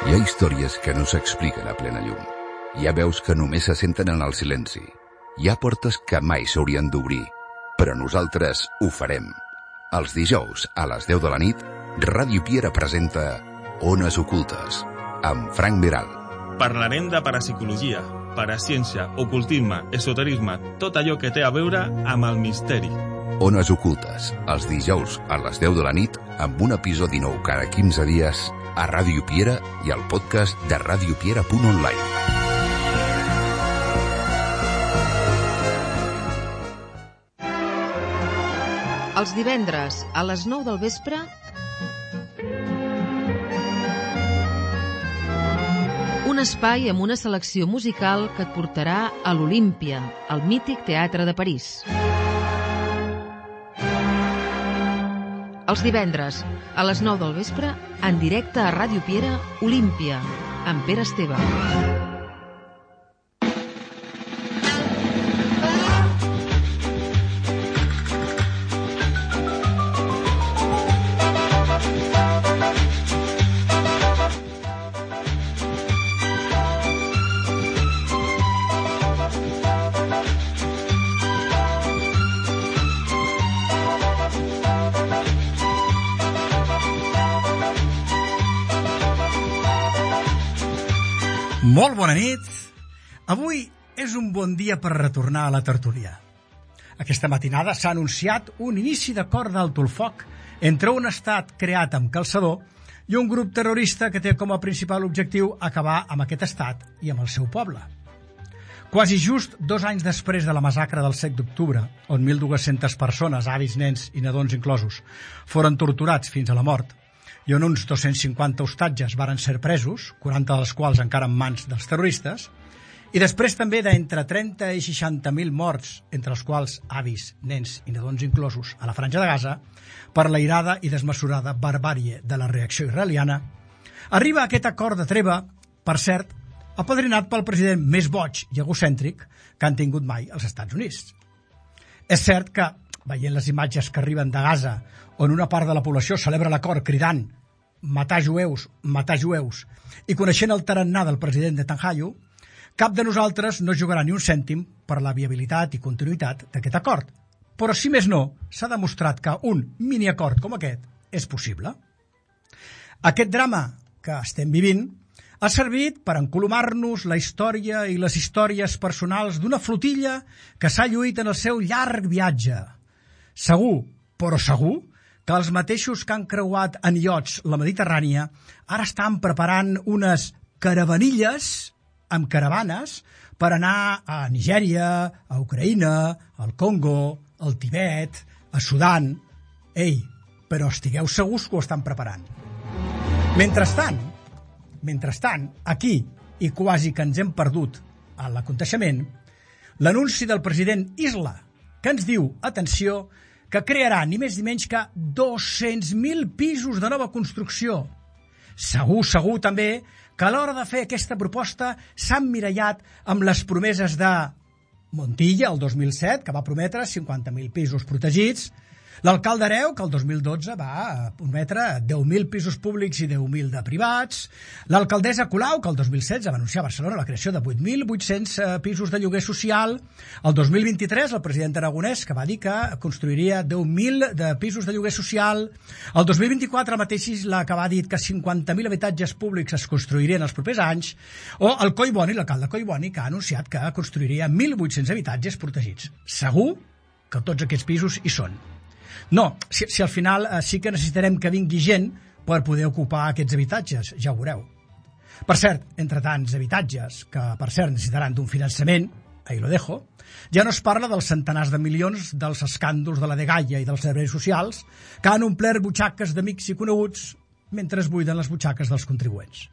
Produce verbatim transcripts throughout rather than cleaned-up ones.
Hi ha històries que no s'expliquen a plena llum. Hi ha veus que només se senten en el silenci. Hi ha portes que mai s'haurien d'obrir, però nosaltres ho farem. Els dijous, a les deu de la nit, Ràdio Piera presenta Ones Ocultes, amb Frank Veral. Parlarem de parapsicologia, paraciència, ocultisme, esoterisme, tot allò que té a veure amb el misteri. Ones Ocultes, els dijous a les deu de la nit, amb un episodi nou cada quinze dies a Ràdio Piera i al podcast de radiopiera punt online. Els divendres, a les nou del vespre, un espai amb una selecció musical que et portarà a l'Olímpia, el mític teatre de París. Els divendres, a les nou del vespre, en directe a Ràdio Piera, Olímpia, amb Pere Esteve. Molt bona nit. Avui és un bon dia per retornar a la tertúlia. Aquesta matinada s'ha anunciat un inici d'acord d'alto el foc entre un estat creat amb calçador i un grup terrorista que té com a principal objectiu acabar amb aquest estat i amb el seu poble. Quasi just dos anys després de la massacre del set d'octubre, on mil dues-centes persones, avis, nens i nadons inclosos, foren torturats fins a la mort, i on uns dos-cents cinquanta hostatges varen ser presos, quaranta dels quals encara en mans dels terroristes, i després també d'entre trenta i seixanta mil morts, entre els quals avis, nens i nadons inclosos, a la Franja de Gaza, per la irada i desmesurada barbàrie de la reacció israeliana, arriba aquest acord de treva, per cert, apadrinat pel president més boig i egocèntric que han tingut mai els Estats Units. És cert que, veient les imatges que arriben de Gaza, on una part de la població celebra l'acord cridant matar jueus, matar jueus, i coneixent el tarannà del president Netanyahu, cap de nosaltres no jugarà ni un cèntim per la viabilitat i continuïtat d'aquest acord. Però, si més no, s'ha demostrat que un miniacord com aquest és possible. Aquest drama que estem vivint ha servit per encolomar-nos la història i les històries personals d'una flotilla que s'ha lluït en el seu llarg viatge. Segur, però segur, que els mateixos que han creuat en iots la Mediterrània ara estan preparant unes caravanilles amb caravanes per anar a Nigèria, a Ucraïna, al Congo, al Tibet, a Sudan. Ei, però estigueu segurs que ho estan preparant. Mentrestant, mentrestant, aquí, i quasi que ens hem perdut a l'aconteixement, l'anunci del president Isla, que ens diu, atenció, que crearà ni més ni menys que dos-cents mil pisos de nova construcció. Segur, segur també que a l'hora de fer aquesta proposta s'ha emmirallat amb les promeses de Montilla, el dos mil set, que va prometre cinquanta mil pisos protegits, l'alcalde Hereu, que el dos mil dotze va prometre deu mil pisos públics i deu mil de privats, l'alcaldessa Colau, que el dos mil setze va anunciar a Barcelona la creació de vuit mil vuit-cents pisos de lloguer social, el dos mil vint-i-tres el president Aragonès, que va dir que construiria deu mil de pisos de lloguer social, el dos mil vint-i-quatre el mateix Isla, que va dir que cinquanta mil habitatges públics es construirien els propers anys, o el Collboni, l'alcalde Collboni, que ha anunciat que construiria mil vuit-cents habitatges protegits. Segur que tots aquests pisos hi són. No, si, si al final eh, sí que necessitarem que vingui gent per poder ocupar aquests habitatges, ja ho veureu. Per cert, entre tants habitatges, que per cert necessitaran d'un finançament, ahí lo dejo, ja no es parla dels centenars de milions dels escàndols de la dgaia i dels serveis socials que han omplert butxaques d'amics i coneguts mentre es buiden les butxaques dels contribuents.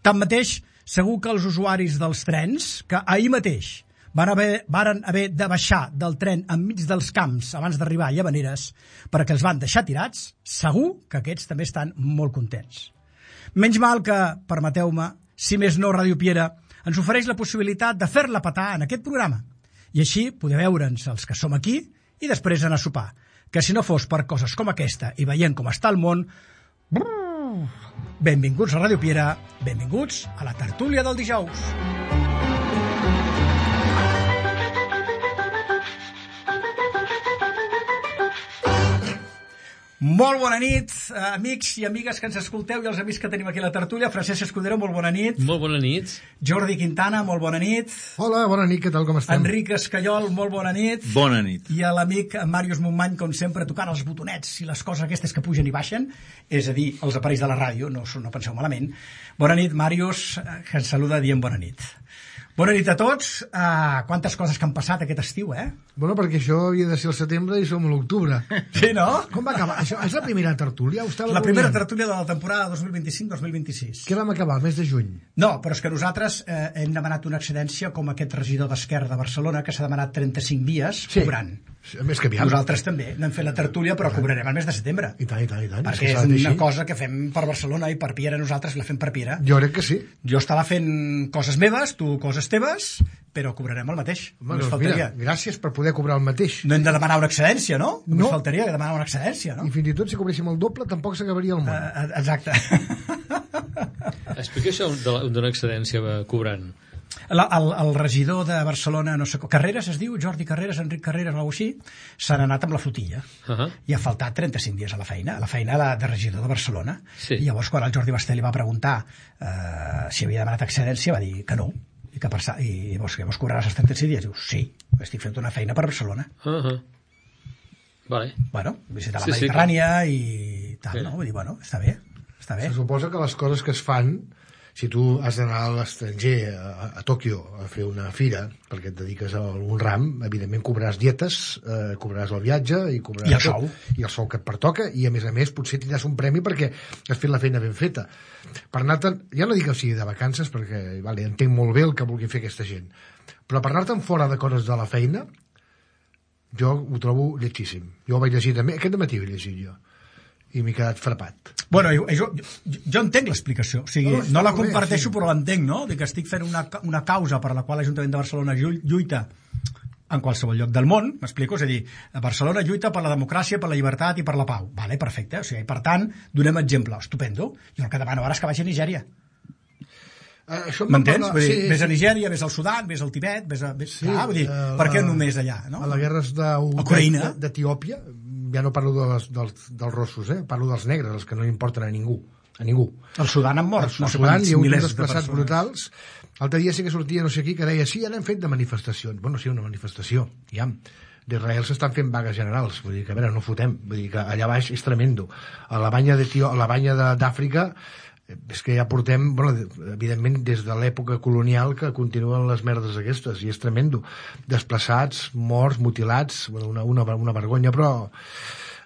Tanmateix, segur que els usuaris dels trens, que ahir mateix van haver, varen haver de baixar del tren enmig dels camps abans d'arribar a Llavaneres perquè els van deixar tirats, segur que aquests també estan molt contents. Menys mal que, permeteu-me, si més no Ràdio Piera ens ofereix la possibilitat de fer-la petar en aquest programa i així poder veure'ns els que som aquí i després anar a sopar, que si no fos per coses com aquesta i veient com està el món, brrr, benvinguts a Ràdio Piera, benvinguts a la tertúlia del dijous. Molt bona nit, amics i amigues que ens escolteu i els amics que tenim aquí a la tertúlia. Francesc Escudero, molt bona nit. Molt bona nit. Jordi Quintana, molt bona nit. Hola, bona nit, què tal, com estem? Enric Escayol, molt bona nit. Bona nit. I a l'amic Màrius Montmany, com sempre, tocant els botonets i les coses aquestes que pugen i baixen, és a dir, els aparells de la ràdio, no, no penseu malament. Bona nit, Màrius, que ens saluda dient bona nit. Bona nit a tots. Uh, quantes coses que han passat aquest estiu, eh? Bueno, perquè això havia de ser el setembre i som a l'octubre. Sí, no? Com va acabar? Això és la primera tertúlia? La primera tertúlia de la temporada dos mil vint-i-cinc dos mil vint-i-sis. Què vam acabar, el mes de juny? No, però és que nosaltres eh, hem demanat una excedència com aquest regidor d'Esquerra de Barcelona, que s'ha demanat trenta-cinc dies sí. cobrant. A més que aviam. Nosaltres també n'hem fet la tertúlia, però cobrarem el mes de setembre. I tant, i tant, i tant. Perquè és, és una cosa que fem per Barcelona i per Piera, nosaltres la fem per Piera. Jo crec que sí. Jo estava fent coses meves, tu coses teves, però cobrarem el mateix. Bueno, doncs mira, gràcies per poder cobrar el mateix. No hem de demanar una excedència, no? No. Ens faltaria que demanar una excedència, no? I fins i tot si cobréssim el doble tampoc s'acabaria el món. Uh, exacte. Explica això d'una excedència cobrant. La, el, el regidor de Barcelona, no sé, Carreras es diu, Jordi Carreras, Enric Carreras, o alguna cosa així, s'han anat amb la flotilla. Uh -huh. I ha faltat trenta-cinc dies a la feina, a la feina de, de regidor de Barcelona. Sí. I llavors, quan el Jordi Basté li va preguntar uh, si havia demanat excedència, va dir que no. I, que per, i llavors, llavors cobraràs els trenta-cinc dies? Diu, sí, estic fent una feina per Barcelona. Uh -huh. Vale. Bueno, visitar la sí, Mediterrània sí, i tal, sí. No? Vull dir, bueno, està bé, està bé. Se suposa que les coses que es fan, si tu has d'anar a l'estranger, a, a Tòquio, a fer una fira, perquè et dediques a algun ram, evidentment cobraràs dietes, eh, cobraràs el viatge i cobraràs I el sou. I el sou que et pertoca, i a més a més potser tindràs un premi perquè has fet la feina ben feta. Per anar-te'n, ja no dic que sigui de vacances, perquè vale, entenc molt bé el que vulgui fer aquesta gent, però per anar-te'n fora de coses de la feina, jo ho trobo lletgíssim. Jo ho vaig llegir també, aquest dematí ho he llegit jo, i m'he quedat frapat. Bueno, jo, jo, jo entenc l'explicació, o sigui, no, no la comparteixo, bé, sí. Però l'entenc, no? De que estic fent una, una causa per la qual l'Ajuntament de Barcelona lluita en qualsevol lloc del món, m'explico? És a dir, Barcelona lluita per la democràcia, per la llibertat i per la pau. Vale, perfecte. O sigui, per tant, donem exemple. Estupendo. Jo el que demano ara és que vagi a Nigèria. Uh, M'entens? Vull dir, sí, ves a Nigèria, ves al Sudan, ves al Tibet, ves a... Ves... Sí, ah, vull dir, uh, per què només allà, no? A les guerres d'Etiòpia, ja no parlo dels, dels, dels rossos, eh? Parlo dels negres, els que no importen a ningú. A ningú. Al Sudan han mort. Al Sudan hi ha uns desplaçats de brutals. L'altre dia sí que sortia no sé qui que deia sí, ja n'hem fet de manifestacions. Bueno, sí, una manifestació, ja. D'Israel s'estan fent vagues generals, vull dir que a veure, no fotem, vull dir que allà baix és tremendo. A la banya d'Etiò, a la banya d'Àfrica és que ja portem, bueno, evidentment des de l'època colonial que continuen les merdes aquestes, i és tremendo. Desplaçats, morts, mutilats, una, una, una vergonya, però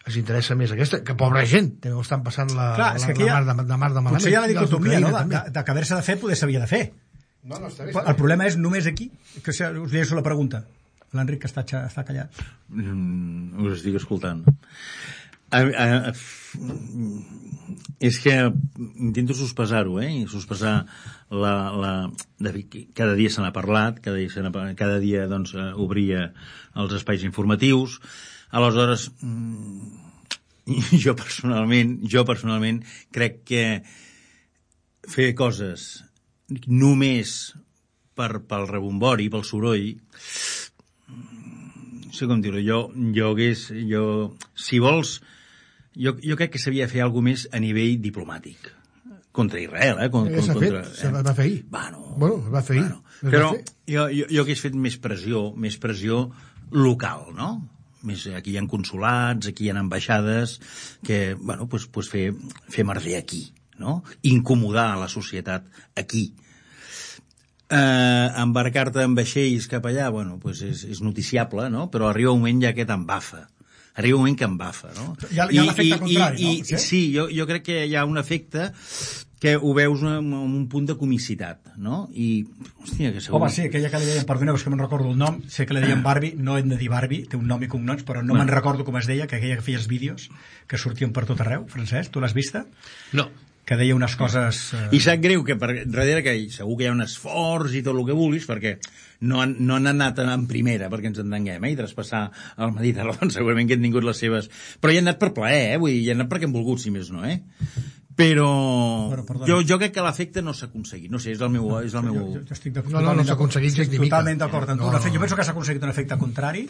els interessa més aquesta, que pobra gent, també ho estan passant la, Clar, la, la, la, mar, de, de mar de malament. Potser hi ha la dicotomia, no?, de, de, de que haver-se de fer, poder s'havia de fer. No, no, està bé, està el bé. Problema és només aquí, que us llegeixo la pregunta. L'Enric, que està, està callat. Mm, us estic escoltant. A, a, a, és que intento sospesar-ho, eh? Sospesar la, la, de, cada dia se n'ha parlat, cada dia, se n'ha, cada dia doncs, obria els espais informatius. Aleshores, jo personalment, jo personalment crec que fer coses només per, pel rebombori, pel soroll, no sé com dir-ho, jo, jo hagués, jo, si vols, jo, jo crec que s'havia de fer alguna més a nivell diplomàtic. Contra Israel, eh? Con, ja s'ha contra, fet, se va fer ahir. Bueno, bueno es va fer ahir. Bueno, però jo, jo, jo hagués fet més pressió, més pressió local, no? Més, aquí hi ha consulats, aquí hi ha ambaixades, que, bueno, pues, pues fer, fer merder aquí, no? Incomodar a la societat aquí. Eh, embarcar-te en vaixells cap allà, bueno, pues és, és noticiable, no? Però arriba un moment ja que t'embafa. Arriba un moment que embafa, no? Hi ha, hi ha l'efecte contrari, i, no? Sí, sí jo, jo crec que hi ha un efecte que ho veus amb un punt de comicitat, no? I, hòstia, que segur... Home, sí, aquella que li deien, perdoneu, és que me'n recordo el nom, sé que li deien Barbie, no hem de dir Barbie, té un nom i cognoms, però no bueno. me'n recordo com es deia, que aquella que feies vídeos, que sortien per tot arreu, Francesc, tu l'has vista? No. Que deia unes coses... Eh... I sap greu que per darrere que segur que hi ha un esforç i tot el que vulguis, perquè no han, no han anat en primera, perquè ens entenguem, eh? I traspassar el Mediterrani, segurament que han tingut les seves... Però hi han anat per plaer, eh? Vull dir, hi han anat perquè han volgut, si més no, eh? però bueno, jo, jo crec que l'efecte no s'ha aconseguit. No sé, és el meu... És el meu... Jo, jo estic no, no, no s'ha aconseguit gens ni mica. Totalment d'acord amb tu. No, no. Jo penso que s'ha aconseguit un efecte contrari.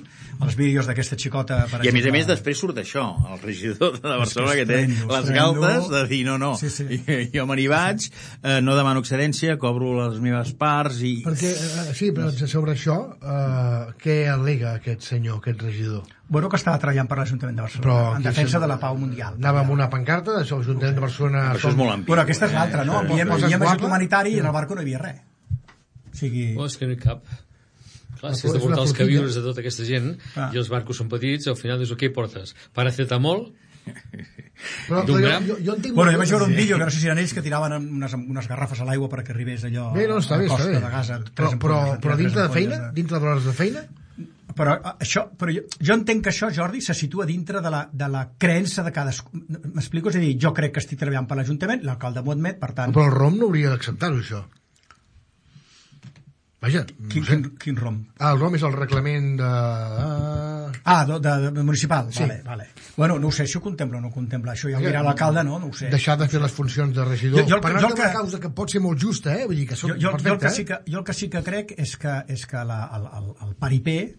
Els vídeos d'aquesta xicota, per I a exemple... més a més després surt això, el regidor de Barcelona que, que té estrendo, les estrendo. galtes de dir no, no, sí, sí. jo me n'hi vaig, eh, no demano excedència, cobro les meves parts i... Perquè, eh, sí, però sobre això, eh, què al·lega aquest senyor, aquest regidor? Bueno, que estava treballant per l'Ajuntament de Barcelona, però, en defensa de la pau mundial. Anava amb una pancarta de l'Ajuntament de Barcelona... Això és molt ampli. Bueno, aquesta és l'altra, no? Eh, Enviem, poses enviem ajut guapa. humanitari i en el barco no hi havia res. O sigui... Oh, és que no hi cap. Clar, si Però has de és portar una els flotilla. queviures de tota aquesta gent Ah. i els barcos són petits, al final dius, què hi portes? Paracetamol? Però, D'un però gram? jo, jo, jo entenc... Bueno, jo vaig veure un vídeo, que no sé si eren ells, que tiraven unes, unes garrafes a l'aigua perquè arribés allò Bé, no, està a bé, la està costa bé. de Gaza. Però, però, però dintre de feina? Dintre d'hores de feina? Però, això, però jo, jo entenc que això, Jordi, se situa dintre de la, de la creença de cadascú. M'explico? És a dir, jo crec que estic treballant per l'Ajuntament, l'alcalde m'ho admet, per tant... Però el ROM no hauria d'acceptar-ho, això. Vaja, no Quin, sé. quin, quin rom? Ah, el ROM és el reglament de... Ah, de, de, de municipal, Sí. vale, vale. Bueno, no ho sé si ho contempla o no ho contempla. Això ja ho dirà l'alcalde, no? No ho sé. Deixar de fer les funcions de regidor. Jo- jo el que- per jo el una que- causa que pot ser molt justa, eh? Vull dir que Jo, són jo, jo, el que perfecte, sí que, jo el que sí que crec és que, és que la, el, el, el paripé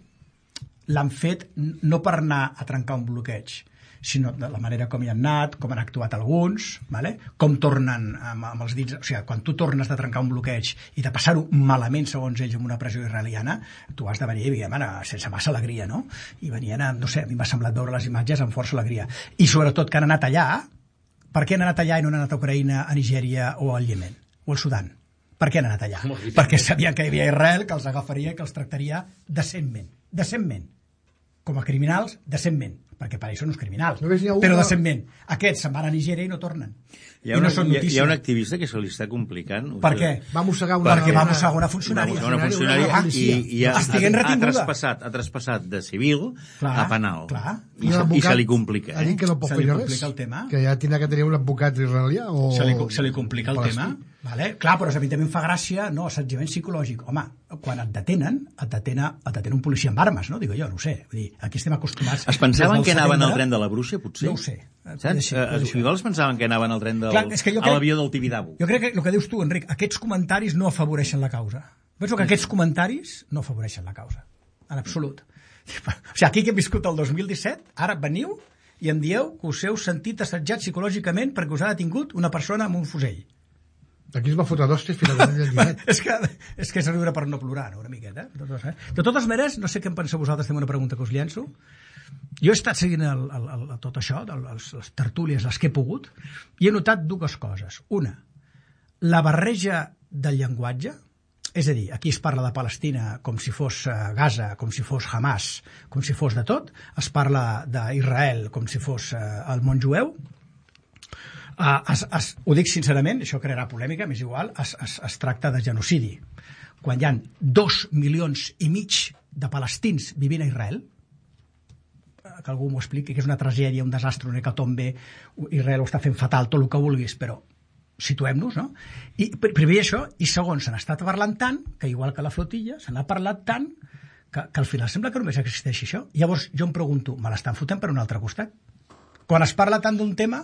l'han fet no per anar a trencar un bloqueig, sinó de la manera com hi han anat, com han actuat alguns, vale? Com tornen amb, amb els dits... O sigui, quan tu tornes de trencar un bloqueig i de passar-ho malament, segons ells, amb una pressió israeliana, tu has de venir, diguem, sense massa alegria, no? I venien, a, no sé, a mi m'ha semblat veure les imatges amb força alegria. I sobretot que han anat allà, per què han anat allà i no han anat a Ucraïna, a Nigèria o al Iemen? O al Sudan? Per què han anat allà? Perquè sabien que hi havia Israel, que els agafaria i que els tractaria decentment. Decentment. Com a criminals, decentment, perquè per això no és criminals, Només n'hi ha un però que- decentment. Aquests se'n van a Nigèria i no tornen. Hi ha, I una, no són hi, ha, hi notícia. ha un activista que se li està complicant. Per què? Va mossegar una... Perquè va una- mossegar una funcionària. Una, una funcionària una i, policia. i ha, Estiguent ha, ha, retinguda. traspassat, ha traspassat de civil Clar, a penal. clar. I, se, I se li complica. Ha dit Eh? que no pot Se li fer res. complica el tema. Que ja tindrà que tenir un advocat israelià o... Se li, se li complica el palestí. tema. Vale? Clar, però evidentment fa gràcia, no, assetjament psicològic. Home, quan et detenen, et detena, et detena un policia amb armes, no? Digo jo, no ho sé. Vull dir, aquí estem acostumats... Es pensaven des del que anaven setembre- al tren de la Bruixa, potser? No ho sé. Saps? Deixa- Eh, deixa. Igual es pensaven que anaven al tren del, Clar, és que jo a crec- l'avió del Tibidabo. Jo crec que el que dius tu, Enric, aquests comentaris no afavoreixen la causa. Penso que aquests comentaris no afavoreixen la causa. En absolut. O sigui, aquí que hem viscut el dos mil disset, ara veniu i em dieu que us heu sentit assetjat psicològicament perquè us ha detingut una persona amb un fusell. Aquí es va fotre d'hòsties fins al del llibret. és, que, és que és riure per no plorar, no? Una miqueta. Eh? De, totes, eh? de totes maneres, no sé què en penseu vosaltres, tinc una pregunta que us llenço. Jo he estat seguint el, el, el, tot això, el, les, les tertúlies, les que he pogut, i he notat dues coses. Una, la barreja del llenguatge, és a dir, aquí es parla de Palestina com si fos Gaza, com si fos Hamas, com si fos de tot, es parla d'Israel com si fos el món jueu. Uh, es, es, ho dic sincerament, això crearà polèmica, m'és igual, es, es, es tracta de genocidi. Quan hi ha dos milions i mig de palestins vivint a Israel, que algú m'ho expliqui, que és una tragèdia, un desastre, una hecatombe, Israel ho està fent fatal, tot el que vulguis, però situem-nos, no? I primer això, i segon, se n'ha estat parlant tant, que igual que la flotilla, se n'ha parlat tant, que, que al final sembla que només existeix això. Llavors jo em pregunto, me l'estan fotent per un altre costat? Quan es parla tant d'un tema,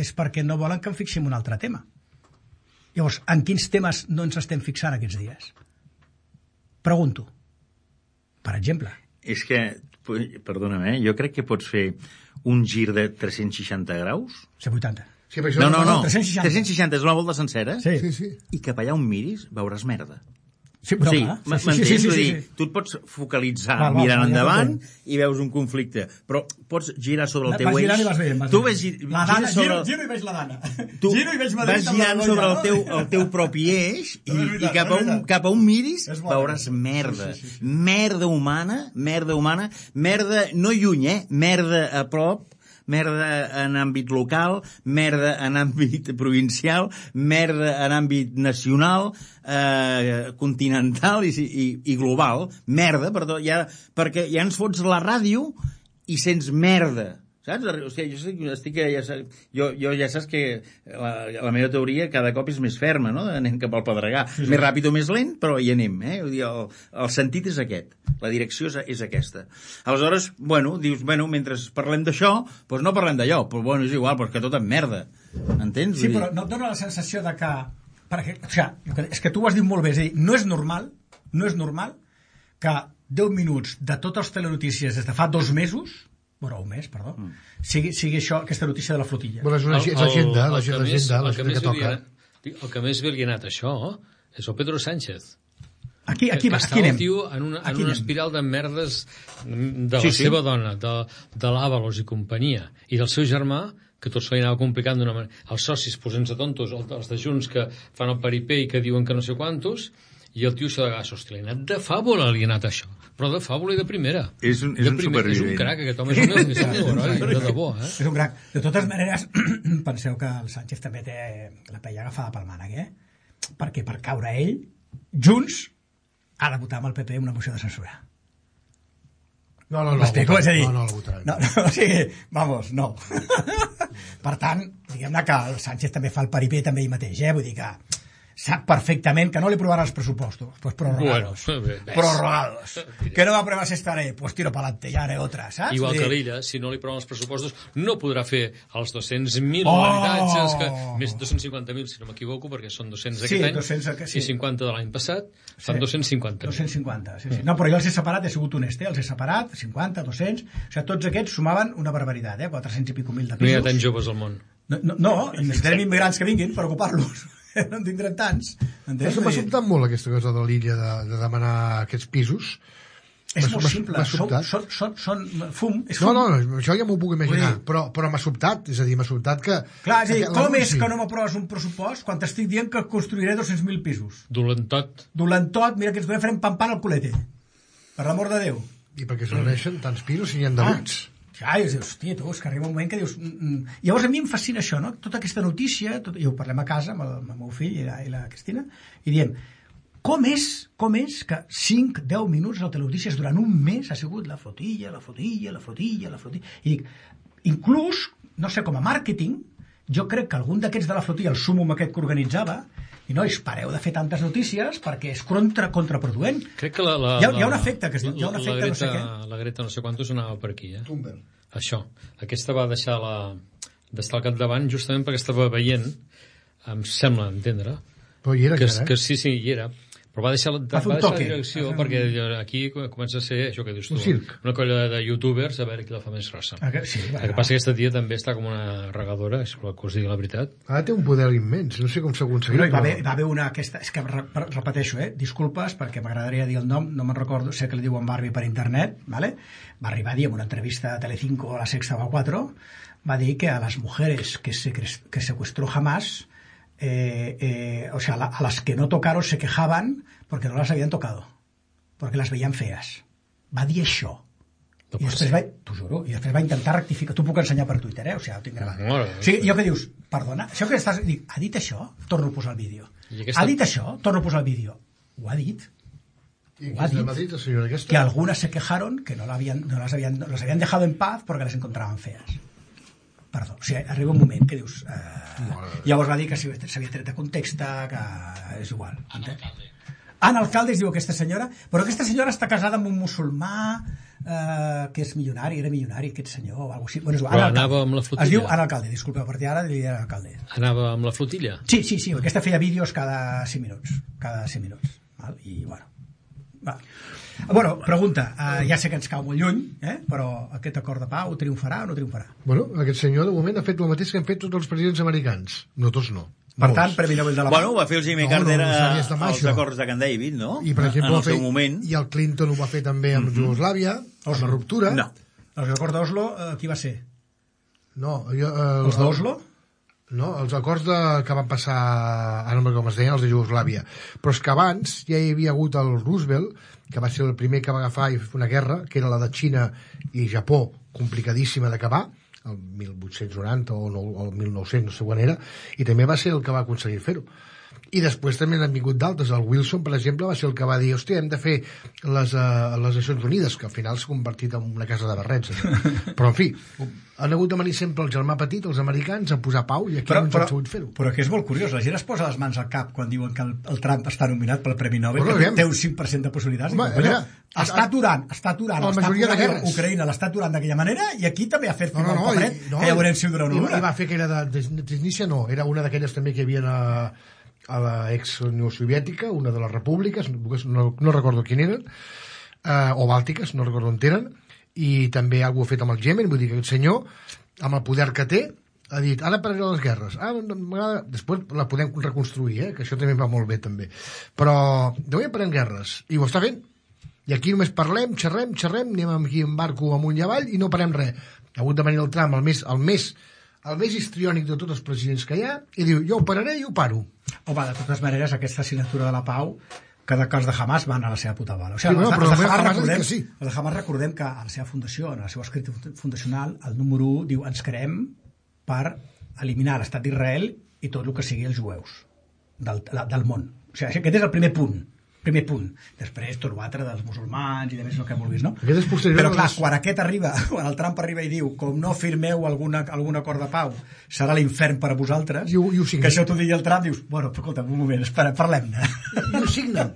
és perquè no volen que em fixi en un altre tema. Llavors, en quins temes no ens estem fixant aquests dies? Pregunto. Per exemple. És que, perdona'm, eh? jo crec que pots fer un gir de tres-cents seixanta graus. cent vuitanta. Sí, però això No, no, no. tres-cents seixanta. tres-cents seixanta és una volta sencera. Sí. Sí, sí. I cap allà on miris veuràs merda. Sí, però, Sí, clar, m'entens? sí, sí, sí, Vull sí, dir, sí. tu et pots focalitzar Val, val, mirant val, ja endavant t'entenc. i veus un conflicte, però pots girar sobre el Vas teu eix. girant i vas veient, vas Tu veient. ves, gi- La dana, gires sobre... giro, giro i veig la dana. Tu Giro i veig Madrid vas amb la girant Begoña, sobre el no? teu, el teu propi eix i, És veritat, i cap, a és un, veritat. cap a on miris És bo, veuràs és bo. merda. Sí, sí, sí, sí. Merda humana, merda humana, merda no lluny, eh? Merda a prop, merda en àmbit local, merda en àmbit provincial, merda en àmbit nacional, eh, continental i, i, i global. Merda, perdó, ja, perquè ja ens fots la ràdio i sents merda. Saps? O sigui, jo, estic, estic, ja, saps, jo, jo ja saps que la, la meva teoria cada cop és més ferma, no? Anem cap al Pedregà. Sí, sí. Més ràpid o més lent, però hi anem. Eh? Vull dir, el, el sentit és aquest. La direcció és, és aquesta. Aleshores, bueno, dius, bueno, mentre parlem d'això, doncs no parlem d'allò, però bueno, és igual, però és que tot en merda. Entens? Sí, però no et dona la sensació de que... Perquè, o sigui, és que tu ho has dit molt bé, és a dir, no és normal, no és normal que deu minuts de totes les telenotícies des de fa dos mesos, bueno, un mes, perdó, mm. sigui, sigui això, aquesta notícia de la flotilla. Bueno, és una és l'agenda, l'agenda, l'agenda que toca. El que més bé li ha anat això és el Pedro Sánchez. Aquí, aquí, que va, aquí anem. El tio en una, en aquí una anem. espiral de merdes de la sí, sí. seva dona, de, de l'Àvalos i companyia, i del seu germà, que tot se li anava complicant d'una manera. Els socis posant-se tontos, els de Junts que fan el paripé i que diuen que no sé quantos, i el tio això de gas, hòstia, li ha anat de fàbula, li ha anat això. Però de fàbula i de primera. És un, és de un primer, supervivent. És un crac, aquest home és un, és un heroi, de debò, eh? És un crac. De totes maneres, penseu que el Sánchez també té la pella agafada pel mànec, eh? Perquè per caure ell, Junts ha de votar amb el P P una moció de censura. No, no, no. M'explico? És a dir, no, no la votaran. No, no, o sigui, vamos, no. Per tant, diguem-ne que el Sánchez també fa el paripé també ell mateix, eh? Vull dir que sap perfectament que no li aprovarà els pressupostos, pues prorrogados. Bueno, prorrogados. Que no va aprovar esta ley, pues tiro para adelante, ya haré otra, saps? Igual que l'Illa, si no li aproven els pressupostos, no podrà fer els dos-cents mil oh! habitatges, que, més dos-cents cinquanta mil, si no m'equivoco, perquè són dos-cents aquest sí, any, dos-cents, sí. i cinquanta de l'any passat, fan sí. dos-cents cinquanta. dos-cents cinquanta, sí, sí. No, però jo els he separat, he sigut honest, eh? Els he separat, cinquanta, dos-cents, o sigui, tots aquests sumaven una barbaritat, eh? quatre-cents i pico mil de pisos. No hi ha tants joves al món. No, no, no necessitarem immigrants que vinguin per ocupar-los. No en tindrem tants. Això m'ha sobtat molt, aquesta cosa de l'Illa, de, de demanar aquests pisos. És molt simple, són, són, són, són fum, és fum. fum. No, no, això ja m'ho puc imaginar, però, però m'ha sobtat, és a dir, m'ha sobtat que... Clar, és a dir, com és que no m'aproves un pressupost quan t'estic dient que construiré dos-cents mil pisos? Dolentot. Dolentot, mira que ens podem fer un pam-pam al culete. Per l'amor de Déu. I perquè s'agraeixen tants pisos si n'hi ha de buits. Ah, i dius, hòstia, tu, és que arriba un moment que dius... Mm, mm. Llavors a mi em fascina això, no? Tota aquesta notícia, tot, i ho parlem a casa amb el, amb el meu fill i la, i la Cristina, i diem, com és, com és que cinc deu minuts de telenotícies durant un mes ha sigut la flotilla, la flotilla, la flotilla, la flotilla... I dic, inclús, no sé, com a màrqueting, jo crec que algun d'aquests de la flotilla, el súmum aquest que organitzava, i nois, pareu de fer tantes notícies perquè és contra, contraproduent. Crec que la, la, hi, ha, hi ha un efecte que es diu, hi ha un efecte Greta, no sé què. La Greta no sé quantos anava per aquí, eh? Thunberg. Això. Aquesta va deixar la d'estar al capdavant justament perquè estava veient, em sembla entendre, però hi era, que, que, que sí, sí, hi era, però va deixar, va va deixar la direcció un... perquè aquí comença a ser això que dius tu, una colla de youtubers a veure qui la fa més grossa. Ah, que, sí, el que passa que aquesta tia també està com una regadora, és que us digui la veritat. Ara té un poder immens, no sé com s'ha aconseguit. No, va, haver, va haver una aquesta, és que repeteixo, eh, disculpes perquè m'agradaria dir el nom, no me'n recordo, sé que li diuen Barbie per internet, ¿vale? Va arribar a dir en una entrevista a Telecinco a la Sexta o a cuatro, va dir que a las mujeres que, se, que secuestró Hamas, eh, eh, o sea, la, a las que no tocaron se quejaban porque no las habían tocado, porque las veían feas. Va dir això. No I després va, t'ho juro, i després va intentar rectificar. T'ho puc ensenyar per Twitter, eh? O sigui, ho tinc gravat. No, no, no. O sigui, jo que dius, perdona, això que estàs... Dic, ha dit això? Torno a posar el vídeo. Aquesta... Ha dit això? Torno a posar el vídeo. Ho ha dit. ¿Y ho ha dit. Madrid, señora, que algunas se quejaron que no, la habían, no las habían, no las habían dejado en paz porque les encontraban feas. Perdó, o sigui, arriba un moment que dius... Eh, no, no. Llavors va dir que s'havia tret de context, que és igual. Ana Alcalde es diu aquesta senyora, però aquesta senyora està casada amb un musulmà eh, que és milionari, era milionari aquest senyor o alguna cosa així. Bueno, Ana anava amb la flotilla. Es diu Ana Alcalde, disculpeu, a partir d'ara li diré Ana Alcalde. Anava amb la flotilla? Sí, sí, sí, aquesta feia vídeos cada cinc minuts, cada cinc minuts. Val? I, bueno, va. Bueno, pregunta, uh, ja sé que ens cau molt lluny, eh? Però aquest acord de pau triomfarà o no triomfarà? Bueno, aquest senyor de moment ha fet el mateix que han fet tots els presidents americans. No tots no. Per Molts. Tant, Premi Nobel de la Pau. Bueno, ho va fer el Jimmy no, Carter no, no, als acords de Camp David, no? I, per exemple, en el seu fet, moment. I el Clinton ho va fer també amb mm-hmm. Jugoslàvia, amb la ruptura. No. Els acords d'Oslo, eh, qui va ser? No, jo... Eh, els d'Oslo? No, els acords de, que van passar, ara no com es deien, els de Jugoslàvia. Però és que abans ja hi havia hagut el Roosevelt, que va ser el primer que va agafar i fer una guerra, que era la de Xina i Japó, complicadíssima d'acabar, el mil vuit-cents noranta o, no, o el mil nou-cents, no sé quan era, i també va ser el que va aconseguir fer-ho. I després també n'han vingut d'altres. El Wilson, per exemple, va ser el que va dir hòstia, hem de fer les, uh, les Nacions Unides, que al final s'ha convertit en una casa de barrets. Eh? Però, en fi, han hagut de venir sempre el germà petit, els americans, a posar pau, i aquí però, no ens però, han sabut fer-ho. Però que és molt curiós, la gent es posa les mans al cap quan diuen que el, el Trump està nominat pel Premi Nobel, bueno, que té un cinc per cent de possibilitats. Home, Diu, veure, està aturant, està aturant, la està majoria de aturant guerres. Ucraïna l'està aturant d'aquella manera, i aquí també ha fet No, no, no, el paperet, i, no, que ja veurem si dura una i, hora. I va fer aquella de, de Transnícia, no, era una d'aquelles també que hi havia a, a la ex-Unió Soviètica, una de les repúbliques, no, no recordo quin eren, eh, o bàltiques, no recordo on eren, i també algú ha fet amb el Yemen, vull dir que aquest senyor, amb el poder que té, ha dit, ara pararé les guerres. Ah, m'agrada. Després la podem reconstruir, eh? Que això també va molt bé, també. Però de moment parem guerres. I ho està fent. I aquí només parlem, xerrem, xerrem, anem aquí en barco amunt i avall i no parem res. Ha hagut de venir el Trump, el més, el més, el més histriònic de tots els presidents que hi ha, i diu, jo ho pararé i ho paro. Home, de totes maneres, aquesta signatura de la pau, cada que els de Hamas van a la seva puta bola. O sigui, Sí, no, els, però els, de Hamas Hamas ha dit recordem, que sí. els de Hamas recordem que a la seva fundació, en el seu escrit fundacional, el número u diu, ens creem per eliminar l'estat d'Israel i tot el que sigui els jueus del, del món. O sigui, aquest és el primer punt. Primer punt. Després tot l'altre dels musulmans i de més el que vulguis, no? Aquest és posterior. Però clar, quan aquest arriba, quan el Trump arriba i diu com no firmeu alguna, algun acord de pau serà l'infern per a vosaltres, I ho, i ho signa. que això t'ho digui el Trump, dius, bueno, escolta, un moment, espera, parlem-ne. I ho signa.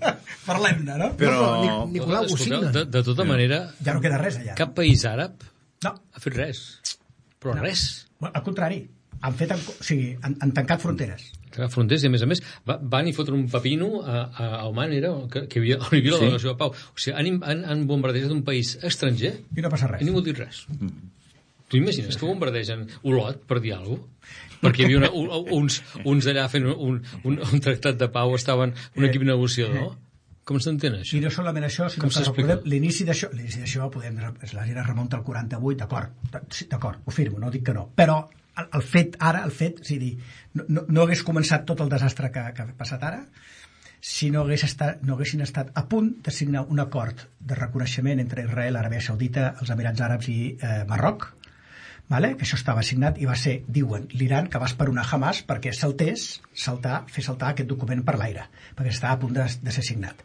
Parlem-ne, no? Però- No, però Nic- Nicolau ho Escolteu, signa. de, de tota manera, Ja no queda res allà. cap país àrab No, ha fet res. Però No. res. al contrari, han fet, o sigui, han, han tancat fronteres. Que fronteres, i a més a més va, van i fotre un pepino a, a, a Oman, era, que, que hi havia, on hi havia la Sí. delegació de pau. O sigui, han, han, han bombardejat un país estranger I no passa i res. ningú ha dit res. Tu imagines que bombardegen Olot per dir alguna cosa? Perquè hi havia una, un, uns, uns allà fent un, un, un tractat de pau, estaven un equip negociador. Com s'entén això? I no solament això, sinó Com que s'explica? recordem l'inici d'això, l'inici d'això podem, la gent es remunta al quaranta-vuit, d'acord, sí, d'acord, ho firmo, no dic que no, però el, el fet ara, el fet, és a dir, no, no, no hagués començat tot el desastre que, que ha passat ara si no, hagués estat, no haguessin estat a punt de signar un acord de reconeixement entre Israel, Aràbia Saudita, els Emirats Àrabs i eh, Marroc, vale? Que això estava signat i va ser, diuen, l'Iran que va esperonar Hamas perquè saltés, saltar, fer saltar aquest document per l'aire, perquè estava a punt de, de ser signat.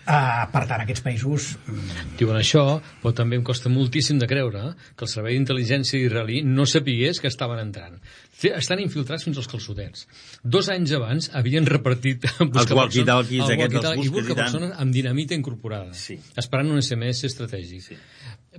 Uh, per tant, aquests països... mm, Diuen això, però també em costa moltíssim de creure que el servei d'intel·ligència israelí no sapigués que estaven entrant. Estan infiltrats fins als calçotets. Dos anys abans havien repartit Els walkie-talkies aquests, els walkie-talkie, busques i tant. persones amb dinamita incorporada, Sí. esperant un S M S estratègic. Sí.